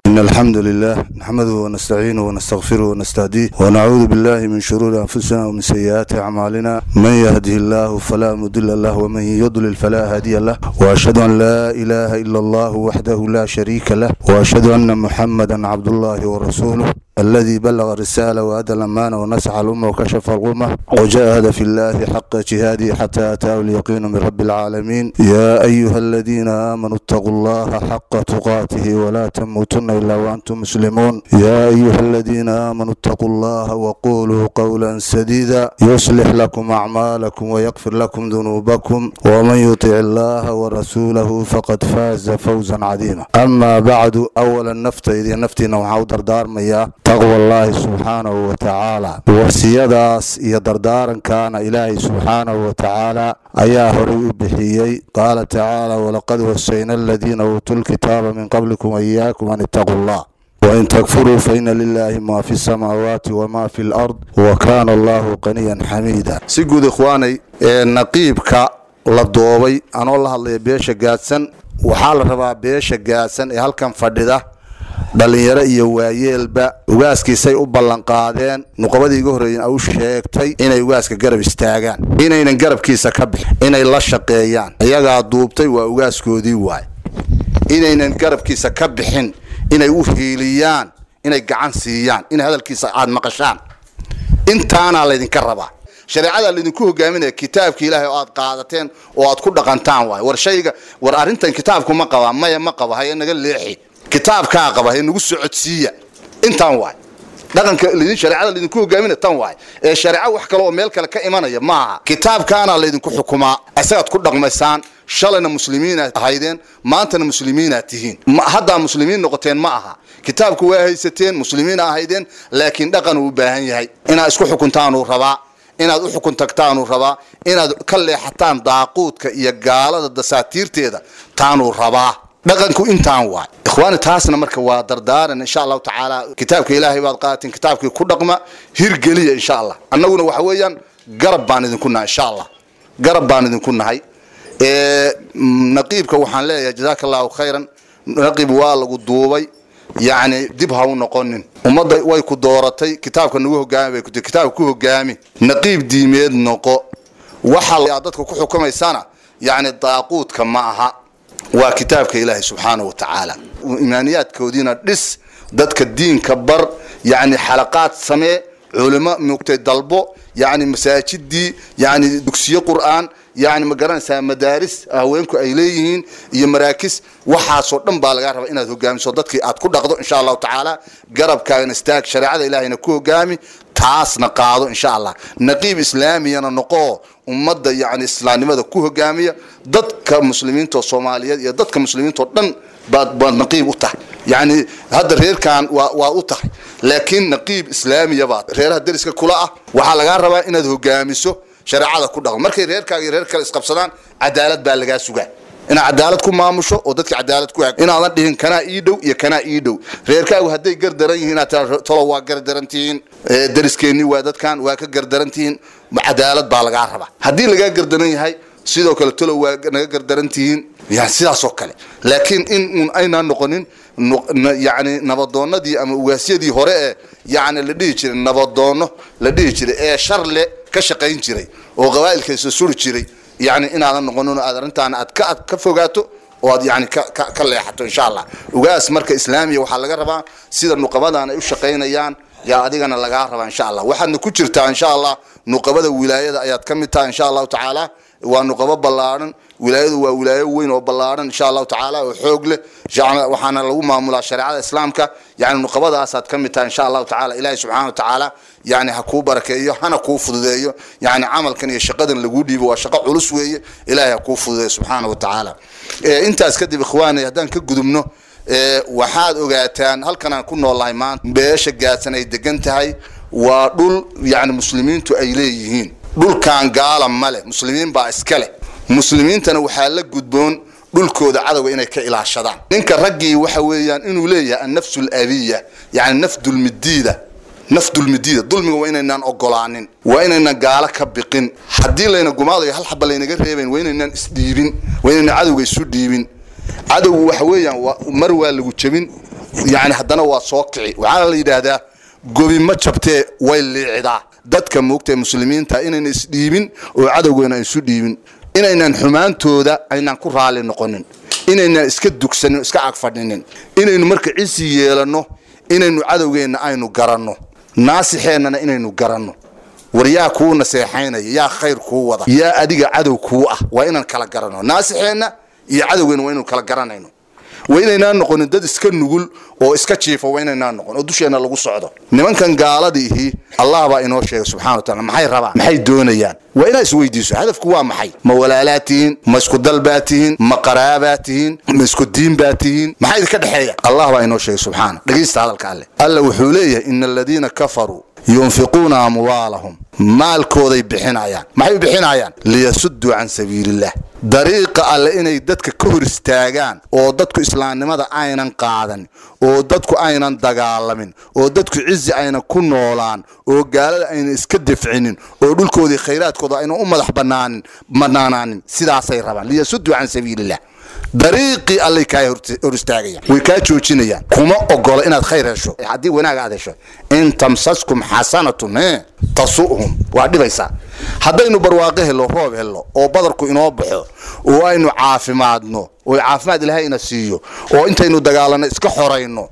إن الحمد لله نحمده ونستعينه ونستغفره ونستهديه، ونعوذ بالله من شرور أنفسنا ومن سيئات أعمالنا. من يهده الله فلا مضل له، ومن يضلل فلا هادي له، وأشهد أن لا إله إلا الله وحده لا شريك له، وأشهد أن محمدا عبد الله ورسوله الذي بلغ الرسالة وأدى الأمانة ونصح الأمة وكشف الغمة وجاهد في الله حق جهاده حتى أتاه اليقين من رب العالمين. يا أيها الذين آمنوا اتقوا الله حق تقاته ولا تموتن إلا وأنتم مسلمون. يا أيها الذين آمنوا اتقوا الله وقولوا قولا سديدا يصلح لكم أعمالكم ويغفر لكم ذنوبكم، ومن يطع الله ورسوله فقد فاز فوزا عظيما. أما بعد، أولا نفتي نفتينا وحاو دردار مياه taqwa Allaahi subxaanahu wa tacaala. Wasiyadaas iyo dardaarankaana Ilaahay subxaanahu wa tacaala ayaa horay u bixiyey. Qaala tacaala: walaqad wasayna aladiina uutuu lkitaaba min qablikum waiyaakum an ittaquu Allah, wain takfuruu faina lilaahi maa fi samaawaati wamaa fi lard, wa kaana Allahu qaniyan xamiida. Si guud, ikhwaanay, ee naqiibka la doobay, anoo la hadlaya beesha Gaadsan, waxaa la rabaa beesha Gaadsan ee halkan fadhida, dhallinyaro iyo waayeelba, ugaaskiisay u ballanqaadeen nuqabadii iga horreeyeen u sheegtay inay ugaaska garab istaagaan, inaynan garabkiisa ka bixin, inay la shaqeeyaan. Iyagaa duubtay, waa ugaaskoodii waay. Inaynan garabkiisa ka bixin, inay u hiiliyaan, inay gacan siiyaan, in hadalkiisa aad maqashaan, intaanaa laydinka rabaa. Shareecada laydinku hogaaminaya, kitaabka Ilaahay oo aad qaadateen oo aad ku dhaqantaan waay. War shayga, war arrintan kitaabku ma qabaa? Maya, ma qaba. Haye, naga leexi. Kitaabkaa qaba, haye, nagu socodsiiya. Intaan waay dhaqanka lidin, shareecada laydinku hogaaminaya tan waay. Ee shareeco wax kale oo meel kale ka imanaya maaha. Kitaabkaana laydinku xukumaa, isagaad ku dhaqmaysaan. Shalayna muslimiinaad ahaydeen, maantana muslimiinaad tihiin. Haddaa muslimiin noqoteen ma aha. Kitaabku waa haysateen, muslimiina ahaydeen, laakiin dhaqan uu u baahan yahay. Inaad isku xukuntaanuu rabaa, inaad u xukun tagtaanuu rabaa, inaad ka leexataan daaquudka iyo gaalada dasaatiirteeda taanuu rabaa. Dhaqanku intaan waay, ikhwaani. Taasna marka waa dardaaran, insha Allahu tacaala. Kitaabka Ilaahay baad qaateen, kitaabkii ku dhaqma, hirgeliya, insha Allah. Annaguna waxa weeyaan garab baan idinku nahay, insha Allah, garab baan idinku nahay. Naqiibka waxaan leeyahay jazaaka Allahu khayran. Naqiib, waa lagu duubay, yacni dib ha u noqonin. Ummadda way ku dooratay, kitaabka nagu hogaami bay ku tiri. Kitaabka ku hogaami, naqiib diimeed noqo. Waxa aad dadka ku xukumaysana yacni daaquudka ma aha, waa kitaabka Ilaahay subxaanahu wa tacaala. Imaaniyaadkoodiina dhis, dadka diinka bar, yacni xalaqaad samee, culimo mugtay dalbo, yacni masaajidii, yacni dugsiyo Qur'aan, yacni ma garanaysaa, madaaris haweenku ay leeyihiin iyo maraakis. Waxaasoo dhan baa lagaa rabaa inaad hogaamiso, dadkii aad ku dhaqdo, insha Allahu tacaala. Garabkaagana istaag, shareecada Ilaahayna ku hogaami, taasna qaado, insha Allah. Naqiib islaamiyana noqoo, ummadda yacni islaamnimada ku hogaamiya. Dadka muslimiinta oo Soomaaliyeed iyo dadka muslimiinta oo dhan baad naqiib u tahay. Yacni hadda reerkan waa u tahay, laakiin naqiib islaamiya baad reeraha deriska kula ah. Waxaa lagaa rabaa inaad hogaamiso, shareecada ku dhaqmo. Markay reerkaaga iyo reer kale isqabsadaan, cadaalad baa lagaa sugaa, inaad cadaalad ku maamusho oo dadka cadaalad ku hag, inaadan dhihin kanaa ii dhow iyo kanaa ii dhow. Reerkaagu hadday gardaran yihiin, inaad tiraa tolo waa gardaran tihiin, deriskeenni waa dadkan, waa ka gardaran tihiin, cadaalad baa lagaa rabaa. Haddii lagaa gardaran yahay, sidoo kale tolo waa naga gardaran tihiin, yani sidaas oo kale. Laakiin in uun aynaan noqonin yani nabadoonnadii ama ugaasyadii hore ee yani la dhihi jiray nabadoonno la dhihi jiray, ee sharle ka shaqayn jiray oo qabaa'ilka isa suri jiray, yani inaadan noqonin oo aad arrintaana aad ka fogaato oo aad yani ka leexato, insha Allah. Ugaas marka islaamiya waxaa laga rabaa sida nuqabadan ay u shaqaynayaan yaa adigana lagaa rabaa, insha Allah. Waxaadna ku jirtaa, insha Allah, nuqabada wilaayada ayaad ka mid tahay, insha Allahu tacaala. Waa nuqabo ballaaran wilaayadu, waa wilaayo weyn oo ballaaran, insha Allahu tacaala, oo xoog leh. Waxaana lagu maamulaa shareecada islaamka. Yani nuqabadaasaad ka mid tahay, insha Allahu tacaala. Ilaahay subxaana wa tacaala yani ha kuu barakeeyo, hana kuu fududeeyo yani camalkan iyo shaqadan laguu dhiibo. Waa shaqo culus weeye. Ilaahay ha kuu fududeeyo subxaana wa tacaala. Intaas kadib, ikhwaani, haddaan ka gudubno, waxaad ogaataan halkan aan ku noolnahay maanta, beesha Gaadsan ay degan tahay, waa dhul yani muslimiintu ay leeyihiin. Dhulkan gaala male, muslimiin baa iska leh. Muslimiintana waxaa la gudboon dhulkooda cadowga inay ka ilaashadaan. Ninka raggii waxa weeyaan inuu leeyahay annafsu alabiya, yacni naf dulmidiida, naf dulmidiida. Dulmiga waa inaynaan ogolaanin, waa inaynaan gaalo ka biqin. Haddii layna gumaadayo hal xaba laynaga reebayn, waa inaynaan isdhiibin, waa inaynaan cadowga isu dhiibin. Cadowgu waxa weeyaan mar waa lagu jebin, yani haddana waa soo kici. Waxaana la yidhaahdaa gobi ma jabtee way liicidaa. Dadka moogtae muslimiinta inayna isdhiibin oo cadowgeena isu dhiibin, inaynaan xumaantooda aynaan ku raali noqonin, inaynaan iska dugsanin, iska agfadhinin, inaynu marka cisi yeelanno, inaynu cadowgeenna aynu garanno, naasixeennana inaynu garanno. War yaa kuu naseexaynaya, yaa khayr kuu wada, yaa adiga cadow kuu ah, waa inaan kala garanno naasixeenna iyo cadowgeenna, waa inaynu kala garanayno. Waa inaynaan noqonin dad iska nugul oo iska jiifa, waa inaynaan noqon oo dusheenna lagu socdo. Nimankan gaaladiihi Allah baa inoo sheegay subxana wa taala maxay rabaan, maxay doonayaan. Waa inaad isweydiiso hadafku waa maxay. Ma walaalaa tihiin? Ma isku dal baa tihiin? Ma qaraabaa tihiin? Ma isku diin baa tihiin? Maxaa idinka dhexeeya? Allah baa inoo sheegay subxaana. Dhegaysta hadalka Alle. Alle wuxuu leeyahay ina aladiina kafaruu yunfiquuna amwaalahum, maalkooday bixinayaan. Maxay u bixinayaan? Liyasudduu can sabiiliillah, dariiqa Alle inay dadka ka hor istaagaan oo dadku islaamnimada aynan qaadan, oo dadku aynan dagaalamin, oo dadku cizi aynan ku noolaan, oo gaalada aynan iska dafcinin, oo dhulkoodii khayraadkooda aynan u madax banaanin banaanaanin. Sidaasay rabaan, liyasudduu can sabiiliillah. Dariiqii Allay kaa hor istaagayaan, way kaa joojinayaan, kuma ogola inaad khayr hesho. Haddii wanaag aad hesho, in tamsaskum xasanatun tasu'hum, waa dhibaysaa. Haddaynu barwaaqo hello, roob hello, oo badarku inoo baxo, oo aynu caafimaadno, oo caafimaad Ilaahay ina siiyo, oo intaynu dagaalanno iska xorayno,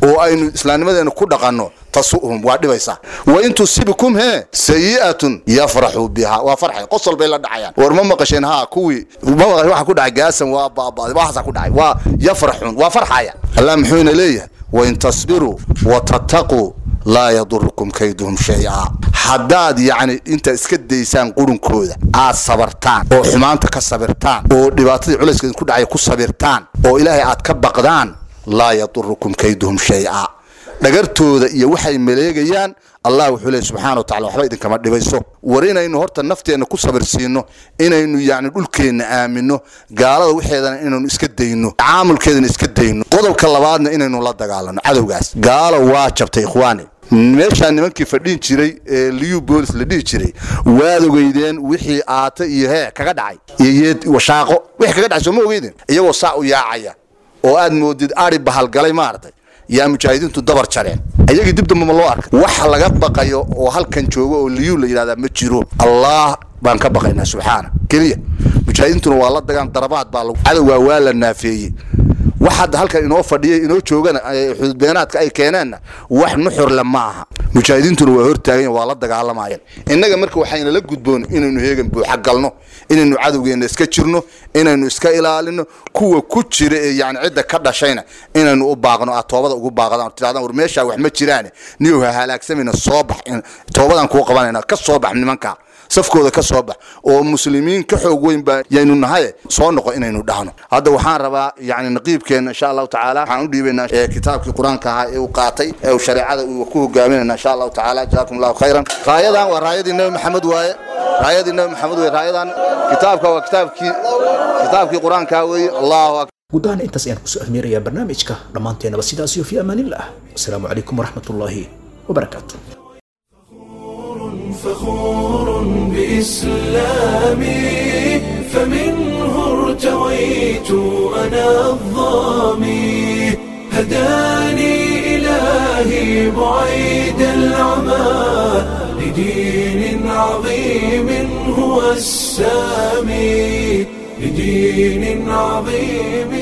oo aynu islaamnimadeena ku dhaqanno, tasu'hum, waa dhibaysaa. Wa in tusibikum sayi'atun yafraxuu biha, waa farxay, qosol bay la dhacayaan. War ma maqasheen? Haa, kuwii ma maqasheen waxa ku dhacay gaasan, waa baaba'day, waxaasaa ku dhacay, waa yafraxuun, waa farxaya. Allah muxuuna leeyahay wain tasbiruu watattaquu laa yadurukum kayduhum shay-a. Haddaad yacni intaad iska daysaan qurunkooda, aad sabartaan oo xumaanta ka sabirtaan, oo dhibaatadii culayska idinku dhacaya ku sabirtaan, oo Ilaahay aad ka baqdaan, laa yadurukum kayduhum shay-a, dhagartooda iyo waxay maleegayaan Allah wuxuu leeyahy subxaana wa tacala waxba idinkama dhibayso. War inaynu horta nafteenna ku sabirsiino, inaynu yacni dhulkeenna aaminno, gaalada waxeedana inaynu iska dayno, caamulkeedana iska dayno. Qodobka labaadna inaynu la dagaalano cadowgaas. Gaalo waa jabtay ikhwaani. Meeshaa nimankii fadhin jiray ee liyu boolis la dhihi jiray waad ogeydeen wixii aata iyo kaga dhacay iyo yeed washaaqo wixii kaga dhacay, soo ma ogeydeen? Iyagoo saa u yaacaya oo aad moodid ari bahalgalay maaragtay, yaa mujaahidiintu dabar jareen ayagii. Dib damba ma loo arkay wax laga baqayo oo halkan joogo oo liyuu la yidhahdaa? Ma jiro. Allah baan ka baqaynaa subxaana keliya. Mujaahidiintuna waa la dagaan, darabaad baa lagu cadowgaa waa la naafeeyey. Wax hadda halkan inoo fadhiya inoo joogana xududbeenaadka ay keeneenna wax nuxurle ma aha. Mujaahidiintuna waa hortaagan, waa la dagaalamayaan. Innaga marka waxayna la gudboon inaynu heegan buuxa galno, inaynu cadowgeenna iska jirno, inaynu iska ilaalino kuwa ku jira ee yani cidda ka dhashayna inaynu u baaqno, aad toobada ugu baaqdaan, tirahdaan war meeshaa wax ma jiraane, niyow ha halaagsamayna, soo bax, toobadan kuu qabanayna, ka soo bax nimanka safkooda, ka soo bax, oo muslimiin ka xoog weyn baa yaynu nahaye, soo noqo inaynu dhahno. Hadda waxaan rabaa yani naqiibkeenna insha Allahu tacaala waxaan u dhiibaynaa kitaabkii qur-aanka ahaa ee uu qaatay ee uu shareecada uu ku hogaaminayna insha Allahu tacaala. Jazaakum Allahu khayran. Raayadan waa raayadii Nabi Maxamed waaye, raayadii Nabi Maxamed waaye raayadan. Kitaabka waa kitaabkii qur-aanka weeye. Allahu akbar. Guud ahaan intaas ayaan kusoo ahmeerayaa barnaamijka. Dhammaanteenaba sidaas iyo fi amaanillah. Asalaamu calaykum waraxmatullaahi wabarakaatu. فخور بإسلامي، فمنه ارتويت أنا الظامي، هداني إلهي بعيد العمى لدين عظيم هو السامي، لدين عظيم.